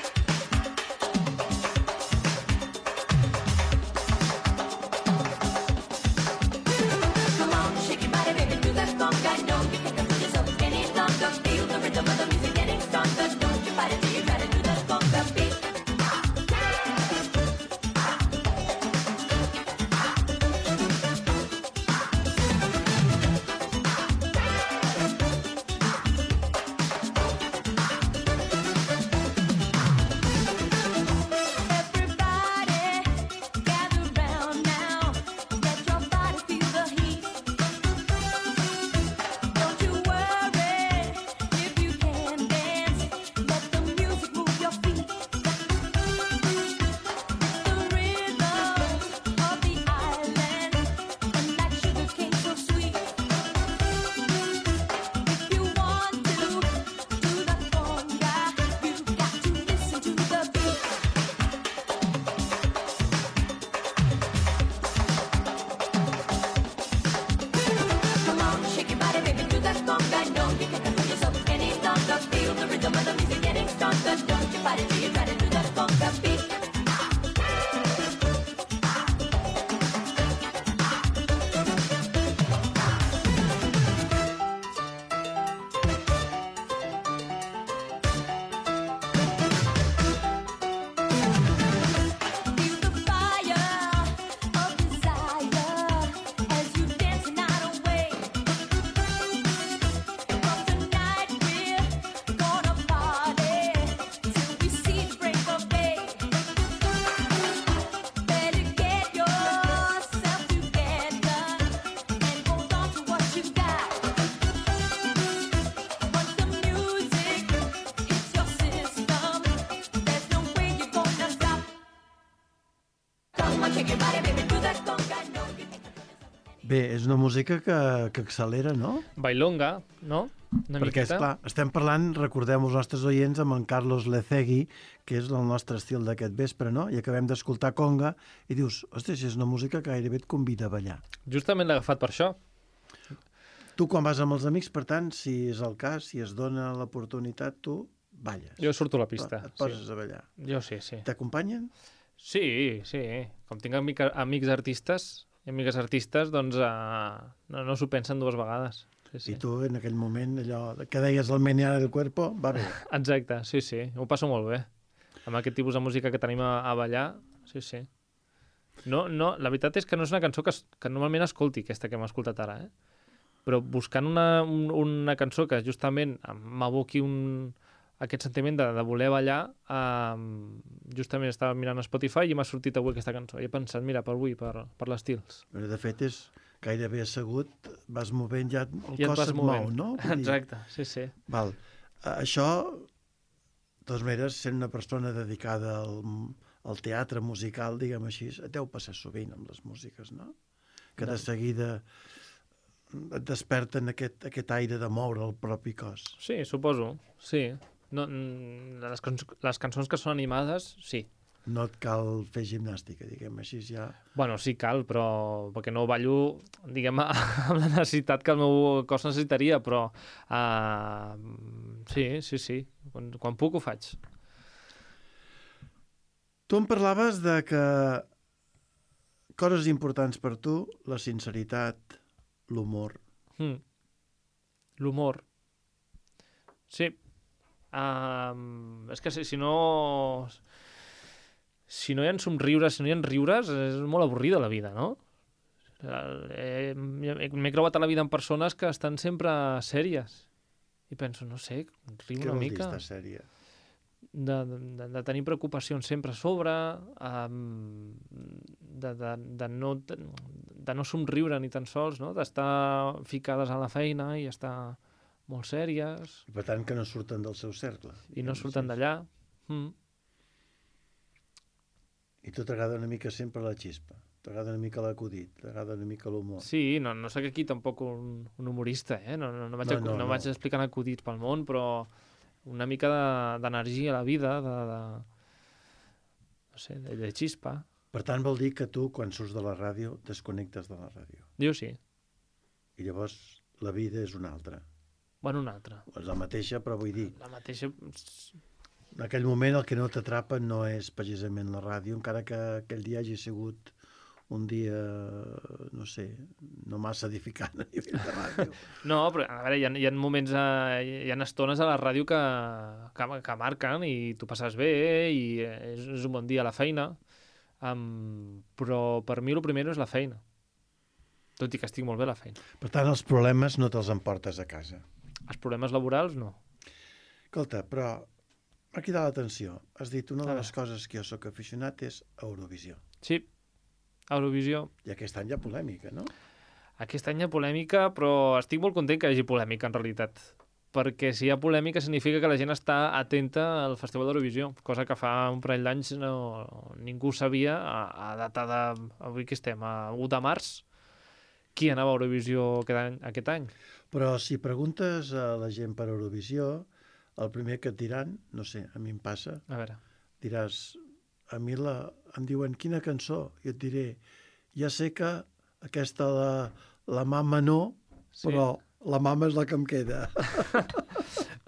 Speaker 4: Come on, shake your body, baby, do that conga. No, you can't control yourself any longer. Feel the rhythm of the music getting stronger. Don't you fight it till you try to do that conga beat. See Come on, shake your body, baby, do that conga. No, you can't.
Speaker 2: Bé, és una música que accelera, no?
Speaker 3: Bailonga, no? Una
Speaker 2: Perquè,
Speaker 3: miqueta.
Speaker 2: esclar, estem parlant, recordem els nostres oients, amb en Carlos Lecegui, que és el nostre estil d'aquest vespre, no? I acabem d'escoltar conga i dius, ostres, és una música que gairebé et convida a ballar.
Speaker 3: Justament l'he agafat per això.
Speaker 2: Tu, quan vas amb els amics, per tant, si és el cas, si es dona l'oportunitat, tu balles.
Speaker 3: Jo surto a la pista.
Speaker 2: Et poses a ballar.
Speaker 3: Jo sí, sí.
Speaker 2: T'acompanyen?
Speaker 3: Sí, sí. Com tinc amics artistes i amigues artistes, doncs no s'ho pensen dues vegades. Sí, sí.
Speaker 2: I tu, en aquell moment, allò que deies el menear del cuerpo, va bé.
Speaker 3: Exacte, sí, sí. Ho passo molt bé. Amb aquest tipus de música que tenim a ballar, sí, sí. No, la veritat és que no és una cançó que normalment escolti, aquesta que hem escoltat ara, Però buscant una cançó que justament m'aboqui aquest sentiment de voler ballar, justament estava mirant a Spotify i m'ha sortit avui aquesta cançó. I he pensat, mira, per avui, per l'estils.
Speaker 2: Però, de fet, és gairebé assegut, vas movent, ja el
Speaker 3: Ja et
Speaker 2: cos
Speaker 3: vas
Speaker 2: se't mou,
Speaker 3: movent.
Speaker 2: no? Vull dir,
Speaker 3: Exacte, sí, sí.
Speaker 2: Val. Això, de totes maneres, sent una persona dedicada al teatre musical, diguem així, et deu passar sovint amb les músiques, no? Que de seguida et desperten aquest aire de moure el propi cos.
Speaker 3: Sí, suposo, sí. No, les cançons que són animades, sí.
Speaker 2: No et cal fer gimnàstica, diguem així, ja...
Speaker 3: Bueno, sí cal, però perquè no ballo, diguem, amb la necessitat que el meu cos necessitaria, però sí. Quan puc ho faig.
Speaker 2: Tu em parlaves de que coses importants per tu, la sinceritat, l'humor.
Speaker 3: L'humor. Sí. És que si no hi ha somriures, si no hi ha riures, és molt avorrida la vida, no? M'he creuat a la vida amb persones que estan sempre sèries. I penso, no sé, riu
Speaker 2: Què
Speaker 3: una
Speaker 2: vol dir
Speaker 3: mica.
Speaker 2: estar sèria?
Speaker 3: De tenir preocupacions sempre a sobre, de no somriure ni tan sols, no? D'estar ficades a la feina i estar molt sèries
Speaker 2: I per tant que no surten del seu cercle.
Speaker 3: i no
Speaker 2: diguem
Speaker 3: surten
Speaker 2: així.
Speaker 3: d'allà.
Speaker 2: I tu t'agrada una mica sempre la xispa, t'agrada una mica l'acudit, t'agrada una mica l'humor.
Speaker 3: Sí, no sóc aquí tampoc un humorista, no
Speaker 2: No.
Speaker 3: vaig explicant acudits pel món, però una mica d'energia a la vida, no sé, de xispa.
Speaker 2: Per tant, vol dir que tu, quan surts de la ràdio, desconnectes de la ràdio.
Speaker 3: Jo sí.
Speaker 2: I llavors la vida és una altra.
Speaker 3: Bueno, una altra.
Speaker 2: És la mateixa, però vull dir,
Speaker 3: La mateixa...
Speaker 2: en aquell moment el que no t'atrapa no és precisament la ràdio, encara que aquell dia hagi sigut un dia, no sé, no massa edificant a nivell de ràdio.
Speaker 3: No, però a veure, hi ha moments, hi ha estones a la ràdio que marquen i tu passes bé i és un bon dia a la feina, però per mi el primer és la feina, tot i que estic molt bé a la feina.
Speaker 2: Per tant, els problemes no te'ls emportes a casa.
Speaker 3: Els problemes laborals, no.
Speaker 2: Escolta, però m'ha cridat l'atenció. Has dit una de
Speaker 3: A
Speaker 2: les coses que jo sóc aficionat és Eurovisió.
Speaker 3: Sí, Eurovisió.
Speaker 2: I aquest any hi ha polèmica, no?
Speaker 3: Aquest any hi ha polèmica, però estic molt content que hi hagi polèmica, en realitat. Perquè si hi ha polèmica significa que la gent està atenta al Festival d'Eurovisió, cosa que fa un parell d'anys ningú sabia, a data de... Avui que estem, a 1 de març, qui anava a Eurovisió aquest any.
Speaker 2: Però si preguntes a la gent per Eurovisió, el primer que et diran, no sé, a mi em passa,
Speaker 3: A veure,
Speaker 2: diràs, a mi em diuen quina cançó, i et diré, ja sé que aquesta la mama no,
Speaker 3: Sí.
Speaker 2: però la mama és la que em queda.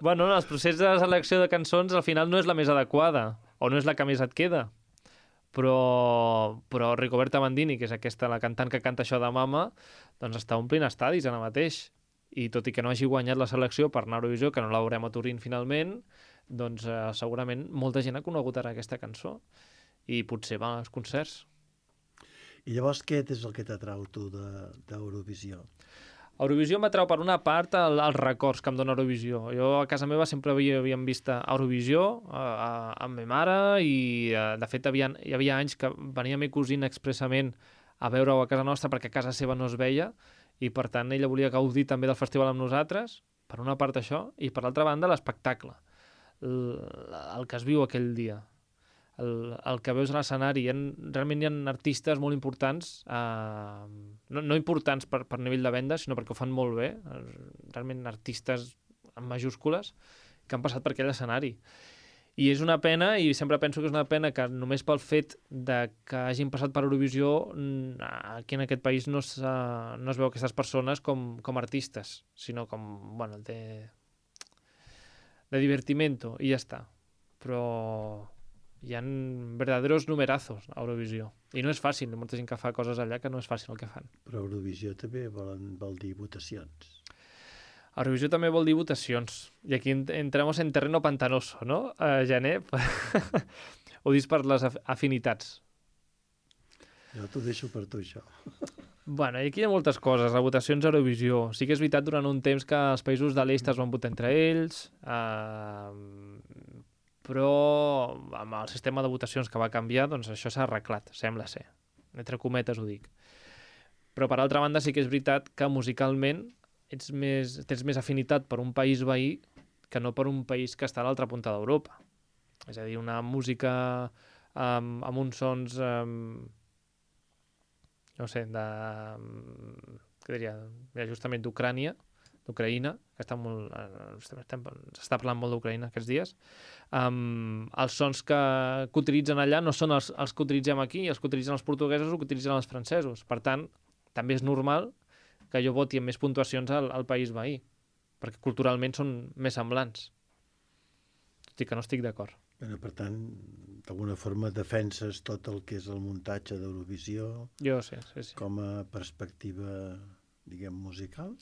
Speaker 3: bueno, el procés de selecció de cançons al final no és la més adequada, o no és la que més et queda. Però Rigoberta Bandini, que és la cantant que canta això de Mama, doncs està omplint estadis ara mateix. I tot i que no hagi guanyat la selecció per anar a Eurovisió, que no la veurem a Turín finalment, doncs segurament molta gent ha conegut ara aquesta cançó i potser va als concerts.
Speaker 2: I llavors què és el que t'atrau tu d'Eurovisió?
Speaker 3: Eurovisió m'atrau per una part els records que em dona Eurovisió. Jo a casa meva sempre havíem vist Eurovisió amb ma mare i de fet hi havia anys que venia meu cosina expressament a veure-ho a casa nostra perquè a casa seva no es veia i per tant ella volia gaudir també del festival amb nosaltres, per una part això, i per l'altra banda l'espectacle, el que es viu aquell dia. el que veus a l'escenari. Realment hi ha artistes molt importants, no importants per nivell de venda, sinó perquè ho fan molt bé, realment artistes en majúscules, que han passat per aquell escenari. I és una pena, i sempre penso que és una pena que només pel fet de que hagin passat per Eurovisió, aquí en aquest país no es veu aquestes persones com artistes, sinó com, bueno, de divertimento, i ja està. Però hi ha verdaderos numerazos a Eurovisió. I no és fàcil, hi ha molta gent que fa coses allà que no és fàcil el que fan.
Speaker 2: Però Eurovisió també vol dir votacions.
Speaker 3: Eurovisió també vol dir votacions. I aquí entramos en terreno pantanoso, no, Gené? Ho dius per les afinitats.
Speaker 2: Jo t'ho deixo per tu, això.
Speaker 3: Bueno, i aquí hi ha moltes coses, les votacions a Eurovisió. Sí que és veritat durant un temps que els països de l'est es van votar entre ells, però amb el sistema de votacions que va canviar, doncs això s'ha arreglat, sembla ser. Entre cometes ho dic. Però per altra banda sí que és veritat que musicalment tens més afinitat per un país veí que no per un país que està a l'altra punta d'Europa. És a dir, una música amb uns sons, no sé, què diria, justament d'Ucraïna, que s'està parlant molt d'Ucraïna aquests dies. Els sons que utilitzen allà no són els que utilitzem aquí, els que utilitzen els portuguesos o que utilitzen els francesos. Per tant, també és normal que jo voti amb més puntuacions al país veí, perquè culturalment són més semblants. Tot i que no estic d'acord.
Speaker 2: Bueno, per tant, d'alguna forma defenses tot el que és el muntatge d'Eurovisió.
Speaker 3: Jo sí.
Speaker 2: Com a perspectiva, diguem, musical?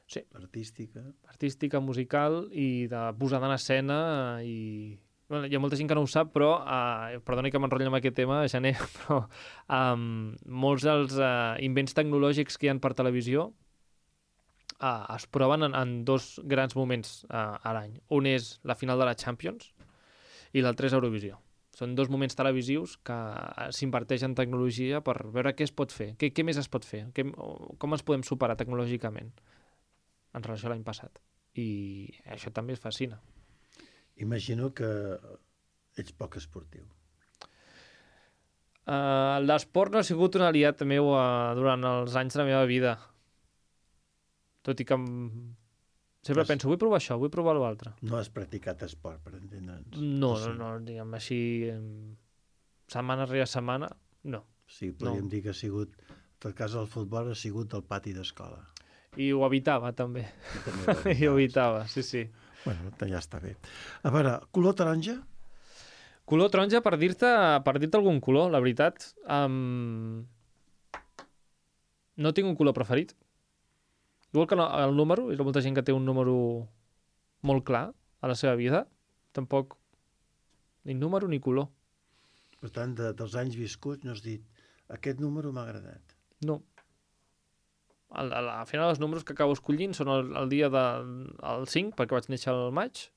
Speaker 3: Sí.
Speaker 2: Artística?
Speaker 3: Artística, musical i de posada en escena i... Bueno, hi ha molta gent que no ho sap, però, perdoni que m'enrotllo amb aquest tema, Gené, però molts dels invents tecnològics que hi ha per televisió es proven en dos grans moments a l'any. Un és la final de la Champions i l'altre és Eurovisió. Són dos moments televisius que s'inverteix en tecnologia per veure què es pot fer, què més es pot fer, com ens podem superar tecnològicament en relació a l'any passat. I això també es fascina.
Speaker 2: Imagino que ets poc esportiu.
Speaker 3: L'esport no ha sigut un aliat meu durant els anys de la meva vida. Tot i que sempre penso, vull provar això, vull provar l'altre.
Speaker 2: No has practicat esport, per entendre'ns.
Speaker 3: No, diguem així, setmana rere setmana, no.
Speaker 2: Sí, podríem dir que ha sigut, en tot cas el futbol ha sigut el pati d'escola.
Speaker 3: I ho evitava, també. I ho evitava, sí.
Speaker 2: Bueno, ja està bé. A veure, color taronja?
Speaker 3: Color taronja, per dir-te algun color, la veritat. No tinc un color preferit. Igual que el número, hi ha molta gent que té un número molt clar a la seva vida. Tampoc ni número ni color.
Speaker 2: Per tant, dels anys viscuts no has dit aquest número m'ha agradat.
Speaker 3: No. Al final els números que acabo escollint són el dia del 5, perquè vaig néixer al maig,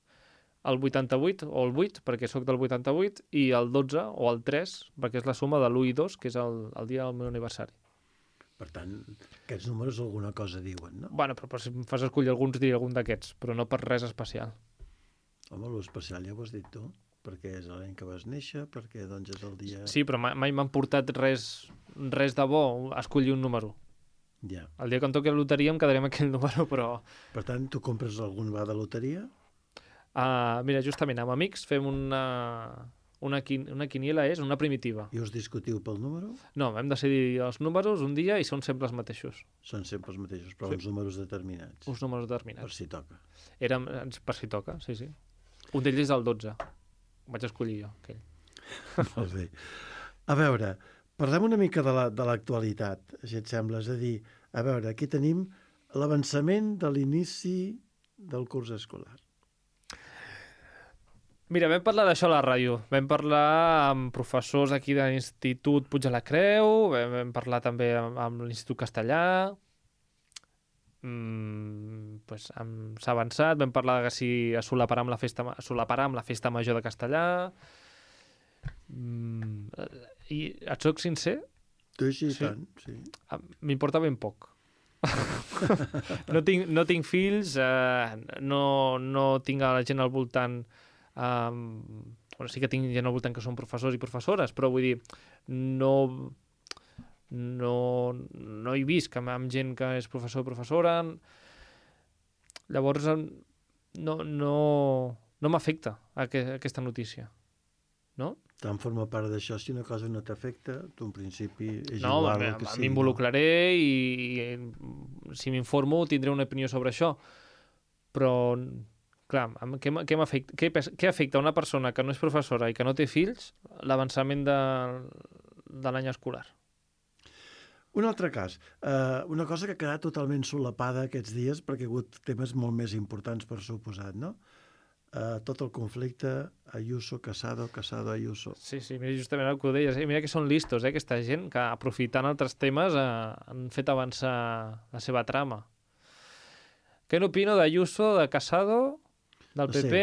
Speaker 3: el 88 o el 8, perquè sóc del 88, i el 12 o el 3, perquè és la suma de l'1 i 2, que és el dia del meu aniversari.
Speaker 2: Per tant, aquests números alguna cosa diuen, no?
Speaker 3: Bueno, però si em fas escollir alguns, diria algun d'aquests, però no per res especial.
Speaker 2: Home, l'especial ja ho has dit tu, perquè és l'any que vas néixer, perquè doncs és el dia...
Speaker 3: Sí, però mai m'han portat res de bo a escollir un número.
Speaker 2: Ja.
Speaker 3: El dia que em toqui la loteria em quedaré amb aquell número, però...
Speaker 2: Per tant, tu compres algun va de loteria?
Speaker 3: Mira, justament amb amics fem una quiniela, és una primitiva.
Speaker 2: I us discutiu pel número?
Speaker 3: No, hem decidir els números un dia i són sempre els mateixos.
Speaker 2: Són sempre els mateixos, però uns números determinats.
Speaker 3: Uns números determinats.
Speaker 2: Per si toca.
Speaker 3: Per si toca, sí. Un d'ells és el 12. Vaig escollir jo, aquell.
Speaker 2: Molt bé. A veure, parlem una mica de l'actualitat, si et sembla. És a dir, a veure, aquí tenim l'avançament de l'inici del curs escolar.
Speaker 3: Mira, vam parlar d'això a la ràdio. Vam parlar amb professors aquí de l'Institut Puig de la Creu, vam parlar també amb l'Institut Castellà. S'ha avançat, vam parlar de si es solaparà amb la festa major de Castellà. I et soc sincer?
Speaker 2: Sí, tant, sí.
Speaker 3: M'importa ben poc. No tinc fills, no tinc a la gent al voltant Bueno, sí que tinc gent al voltant que són professors i professores, però vull dir, no he vist amb gent que és professor o professora. Llavors, no m'afecta aquesta notícia, no?
Speaker 2: Tant forma part d'això. Si una cosa no t'afecta, tu en principi és
Speaker 3: No,
Speaker 2: igual el que sigui.
Speaker 3: m'involucraré i si m'informo tindré una opinió sobre això. Però, clar, què afecta a una persona que no és professora i que no té fills l'avançament de l'any escolar?
Speaker 2: Un altre cas, una cosa que ha quedat totalment solapada aquests dies perquè ha hagut temes molt més importants per suposat, no? Tot el conflicte Ayuso, Casado, Ayuso.
Speaker 3: Sí, mira, justament el que ho deies. Mira que són listos, aquesta gent, que aprofitant altres temes han fet avançar la seva trama. Què n'opino d'Ayuso, de Casado, del PP?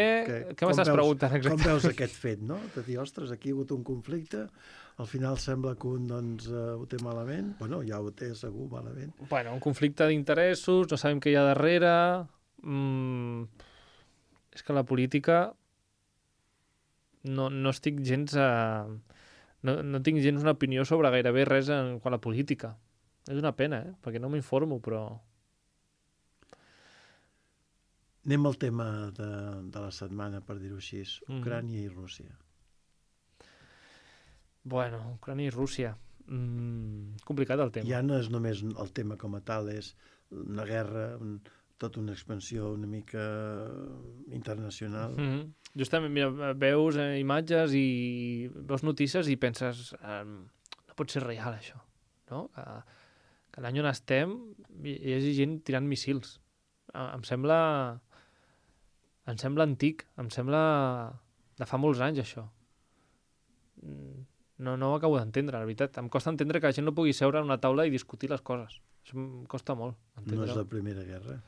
Speaker 3: Què m'estàs preguntant exactament?
Speaker 2: Com veus aquest fet, no? De dir, ostres, aquí hi ha hagut un conflicte, al final sembla que un doncs, ho té malament. Bueno, ja ho té segur malament.
Speaker 3: Bueno, un conflicte d'interessos, no sabem què hi ha darrere. És que la política no estic gens no tinc gens una opinió sobre gairebé res en quant a la política. És una pena, perquè no m'informo, però...
Speaker 2: Anem al tema de la setmana, per dir-ho així. Ucrània i Rússia.
Speaker 3: Bueno, Ucrània i Rússia. Complicat el tema.
Speaker 2: Ja no és només el tema com a tal, és una guerra... tota una expansió una mica internacional.
Speaker 3: Justament, mira, veus imatges i veus notícies i penses no pot ser real, això, no? Que l'any on estem hi hagi gent tirant missils. Em sembla antic, em sembla de fa molts anys, això. No ho acabo d'entendre, la veritat. Em costa entendre que la gent no pugui seure a una taula i discutir les coses. Això em costa molt entendre.
Speaker 2: No és la primera guerra.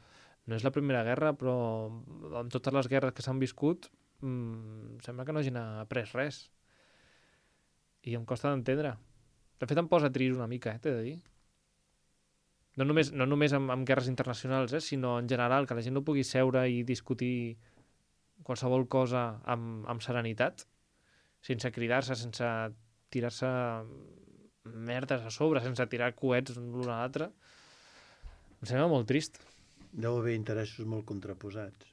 Speaker 3: No és la primera guerra, però amb totes les guerres que s'han viscut sembla que no hagin après res. I em costa d'entendre. De fet, em posa trist una mica, t'he de dir. No només amb guerres internacionals, sinó en general, que la gent no pugui seure i discutir qualsevol cosa amb serenitat, sense cridar-se, sense tirar-se merdes a sobre, sense tirar coets l'un a l'altre. Em sembla molt trist.
Speaker 2: Deu haver interessos molt contraposats.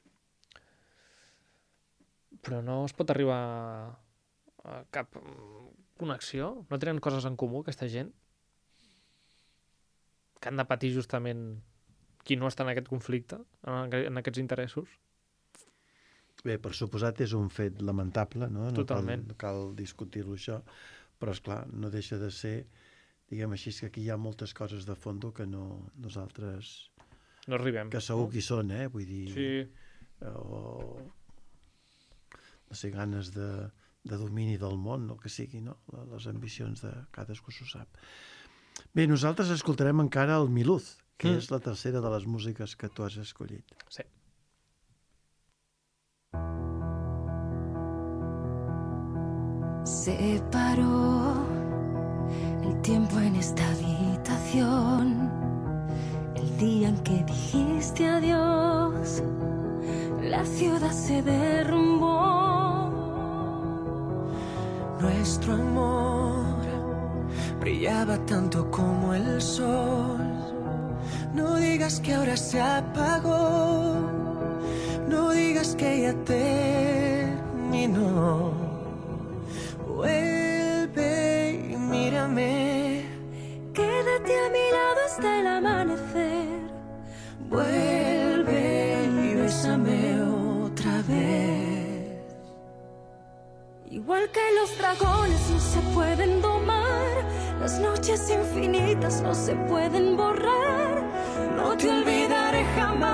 Speaker 3: Però no es pot arribar a cap connexió? No tenen coses en comú, aquesta gent? Que han de patir justament qui no està en aquest conflicte, en aquests interessos?
Speaker 2: Bé, per suposat és un fet lamentable, no?
Speaker 3: Totalment.
Speaker 2: No cal discutir-lo això, però esclar, no deixa de ser, diguem així, que aquí hi ha moltes coses de fondo que nosaltres...
Speaker 3: No arribem.
Speaker 2: Que segur qui són, vull dir...
Speaker 3: Sí.
Speaker 2: O, no sé, ganes de domini del món, el que sigui, no? Les ambicions de cadascú s'ho sap. Bé, nosaltres escoltarem encara el Miluz, que és la tercera de les músiques que tu has escollit.
Speaker 3: Sí.
Speaker 5: Se paró el tiempo en esta habitación. El día en que dijiste adiós, la ciudad se derrumbó.
Speaker 6: Nuestro amor brillaba tanto como el sol. No digas que ahora se apagó, no digas que ya terminó. Vuelve y mírame,
Speaker 5: quédate a mi lado hasta el amanecer.
Speaker 6: Vuelve y bésame otra vez.
Speaker 5: Igual que los dragones no se pueden domar, las noches infinitas no se pueden borrar.
Speaker 6: No te olvidaré jamás,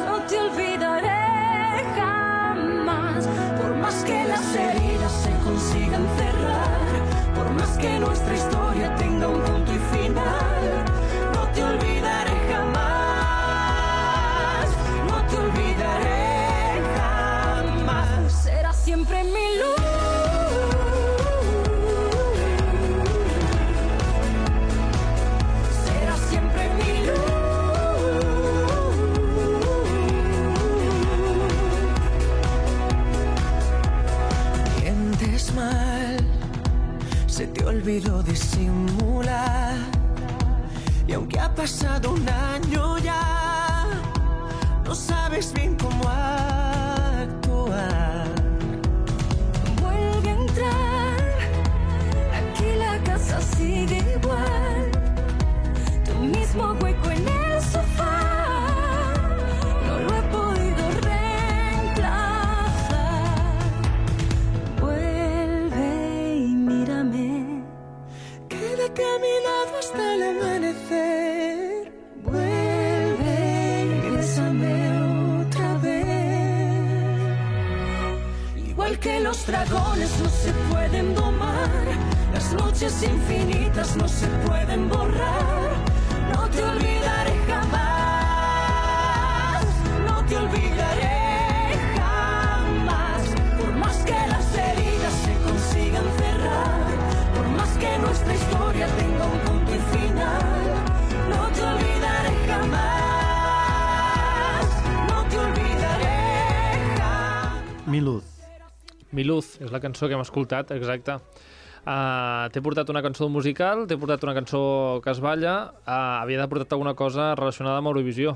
Speaker 5: no te olvidaré jamás.
Speaker 6: Por más que las heridas se consigan cerrar, por más que nuestra historia tenga un punto y final, no te olvidaré jamás, no te olvidaré jamás.
Speaker 5: Será siempre mi luz.
Speaker 6: Será siempre mi luz. se te olvidó disimular. Y aunque ha pasado un año ya, no sabes bien cómo actuar.
Speaker 5: Vuelve a entrar, aquí la casa sigue igual. Tu mismo hueco en el sofá, no lo he podido reemplazar. Vuelve y mírame,
Speaker 6: Quédate a mi lado hasta el amanecer.
Speaker 5: vuelve y bésame otra vez.
Speaker 6: Igual que los dragones no se pueden domar, las noches infinitas no se pueden borrar. No te olvidaré jamás, no te olvidaré jamás. Por más que las heridas se consigan cerrar, por más que nuestra historia tenga un punto y final, no te olvidaré jamás, no te olvidaré jamás.
Speaker 2: Miluz.
Speaker 3: Miluz, és la cançó que hem escoltat, exacte. T'he portat una cançó musical, t'he portat una cançó que es balla, havia de portar alguna cosa relacionada amb Eurovisió.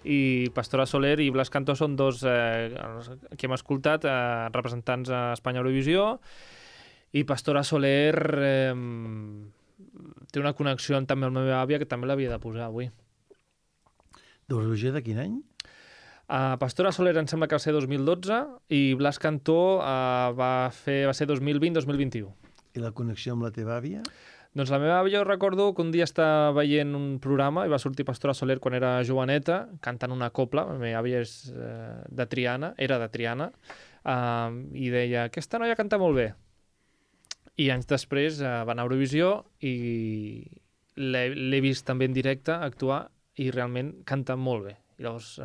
Speaker 3: I Pastora Soler i Blas Cantó són dos que hem escoltat, representants a Espanya Eurovisió, i Pastora Soler té una connexió també amb la meva àvia, que també l'havia de posar avui.
Speaker 2: D'Eurovisió de quin any?
Speaker 3: Pastora Soler em sembla que va ser 2012 i Blas Cantó va ser 2020-2021.
Speaker 2: I la connexió amb la teva àvia?
Speaker 3: Doncs la meva àvia, jo recordo que un dia estava veient un programa i va sortir Pastora Soler quan era joveneta, cantant una copla. La meva àvia és de Triana, era de Triana, i deia, aquesta noia canta molt bé. I anys després va anar a Eurovisió i l'he vist també en directe actuar i realment canta molt bé. I llavors,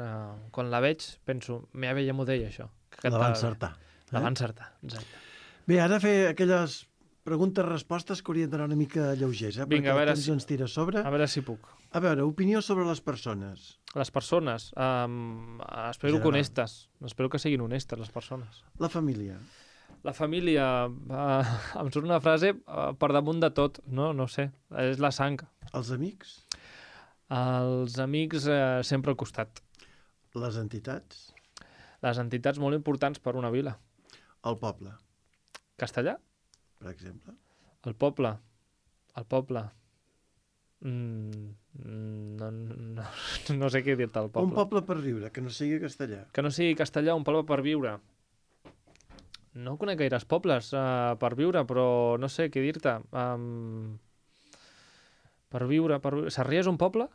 Speaker 3: quan la veig, penso, meva àvia ja m'ho deia, això.
Speaker 2: La va encertar.
Speaker 3: La va encertar, exacte.
Speaker 2: Bé, ara fer aquelles preguntes-respostes que haurien d'anar una mica lleugers,
Speaker 3: Vinga, a veure
Speaker 2: perquè el temps ens tira a sobre.
Speaker 3: A veure si puc.
Speaker 2: A veure, opinió sobre les persones.
Speaker 3: Les persones, espero
Speaker 2: General.
Speaker 3: que honestes. Espero que siguin honestes, les persones.
Speaker 2: La família.
Speaker 3: La família, em surt una frase per damunt de tot, no sé, és la sang.
Speaker 2: Els amics.
Speaker 3: Els amics sempre al costat.
Speaker 2: Les entitats.
Speaker 3: Les entitats molt importants per una vila.
Speaker 2: El poble,
Speaker 3: Castellà?
Speaker 2: per exemple.
Speaker 3: El poble. El poble. No sé què dir-te, el poble.
Speaker 2: Un poble per viure, que no sigui castellà.
Speaker 3: Que no sigui castellà, un poble per viure. No conec gaires pobles per viure, però no sé què dir-te. Per viure... Sarrià és un poble?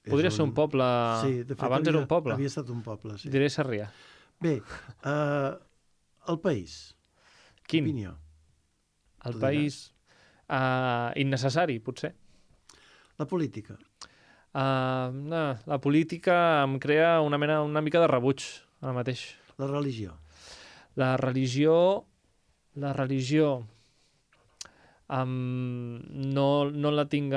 Speaker 3: Podria ser un poble...
Speaker 2: Sí, de fet,
Speaker 3: Abans era un poble.
Speaker 2: Havia estat un poble, sí.
Speaker 3: Diré Sarrià.
Speaker 2: Bé, el país.
Speaker 3: Quin?
Speaker 2: Opinió.
Speaker 3: El
Speaker 2: Tu
Speaker 3: país... innecessari, potser.
Speaker 2: La política.
Speaker 3: No, la política em crea una mica de rebuig, ara mateix.
Speaker 2: La religió.
Speaker 3: La religió... no la tinc...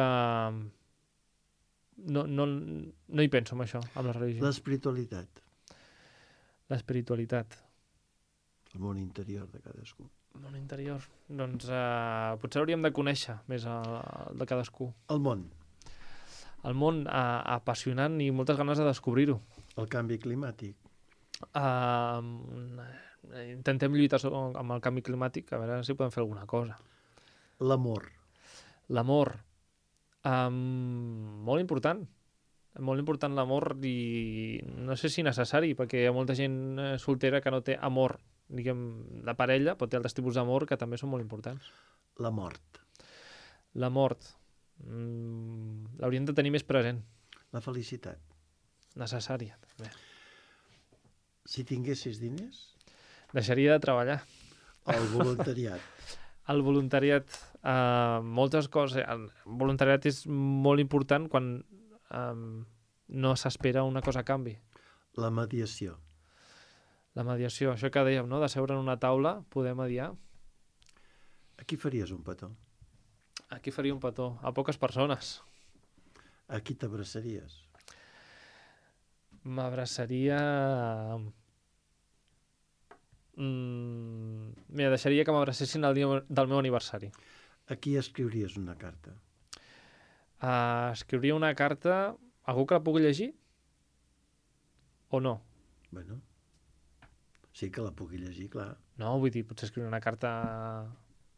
Speaker 3: No hi penso en això, amb la religió.
Speaker 2: L'espiritualitat.
Speaker 3: L'espiritualitat.
Speaker 2: El món interior de cadascú.
Speaker 3: El món interior. Doncs potser hauríem de conèixer més el de cadascú.
Speaker 2: El món.
Speaker 3: El món apassionant i moltes ganes de descobrir-ho.
Speaker 2: El canvi climàtic.
Speaker 3: Intentem lluitar amb el canvi climàtic, a veure si podem fer alguna cosa.
Speaker 2: L'amor.
Speaker 3: L'amor. Molt important. Molt important l'amor i no sé si necessari, perquè hi ha molta gent soltera que no té amor, diguem, de parella, però té altres tipus d'amor que també són molt importants.
Speaker 2: La mort.
Speaker 3: La mort. L'hauríem de tenir més present.
Speaker 2: La felicitat.
Speaker 3: Necessària, també.
Speaker 2: Si tinguessis diners,
Speaker 3: Deixaria de treballar.
Speaker 2: el voluntariat.
Speaker 3: El voluntariat, moltes coses... El voluntariat és molt important quan no s'espera una cosa a canvi.
Speaker 2: La mediació.
Speaker 3: La mediació, això que dèiem, no? De seure en una taula, poder mediar.
Speaker 2: A qui faries un petó?
Speaker 3: Aquí faria un petó. A poques persones.
Speaker 2: A qui t'abraçaries?
Speaker 3: M'abraçaria... Mira, deixaria que m'abracessin el dia del meu aniversari.
Speaker 2: A qui escriuries una carta?
Speaker 3: Escriuria una carta a algú que la pugui llegir? O no?
Speaker 2: Bueno, sí que la pugui llegir, clar.
Speaker 3: No, vull dir, potser escriure una carta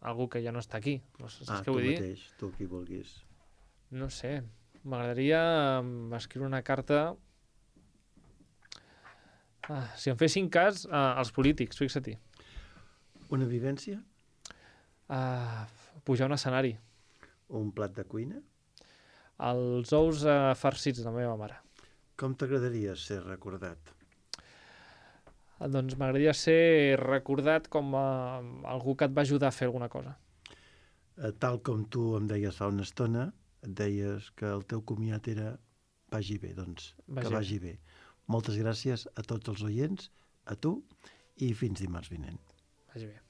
Speaker 3: a algú que ja no està aquí. No sé, saps què
Speaker 2: tu
Speaker 3: vull dir?
Speaker 2: mateix, tu qui vulguis.
Speaker 3: No sé, m'agradaria escriure una carta... si em fessin cas, als polítics, fixa-t'hi.
Speaker 2: Una vivència?
Speaker 3: Pujar a un escenari.
Speaker 2: Un plat de cuina?
Speaker 3: Els ous farcits de la meva mare.
Speaker 2: Com t'agradaria ser recordat?
Speaker 3: Doncs m'agradaria ser recordat com algú que et va ajudar a fer alguna cosa.
Speaker 2: Tal com tu em deies fa una estona, et deies que el teu comiat era vagi bé, doncs que vagi bé. Moltes gràcies a tots els oients, a tu, i fins dimarts vinent.
Speaker 3: Vagi bé.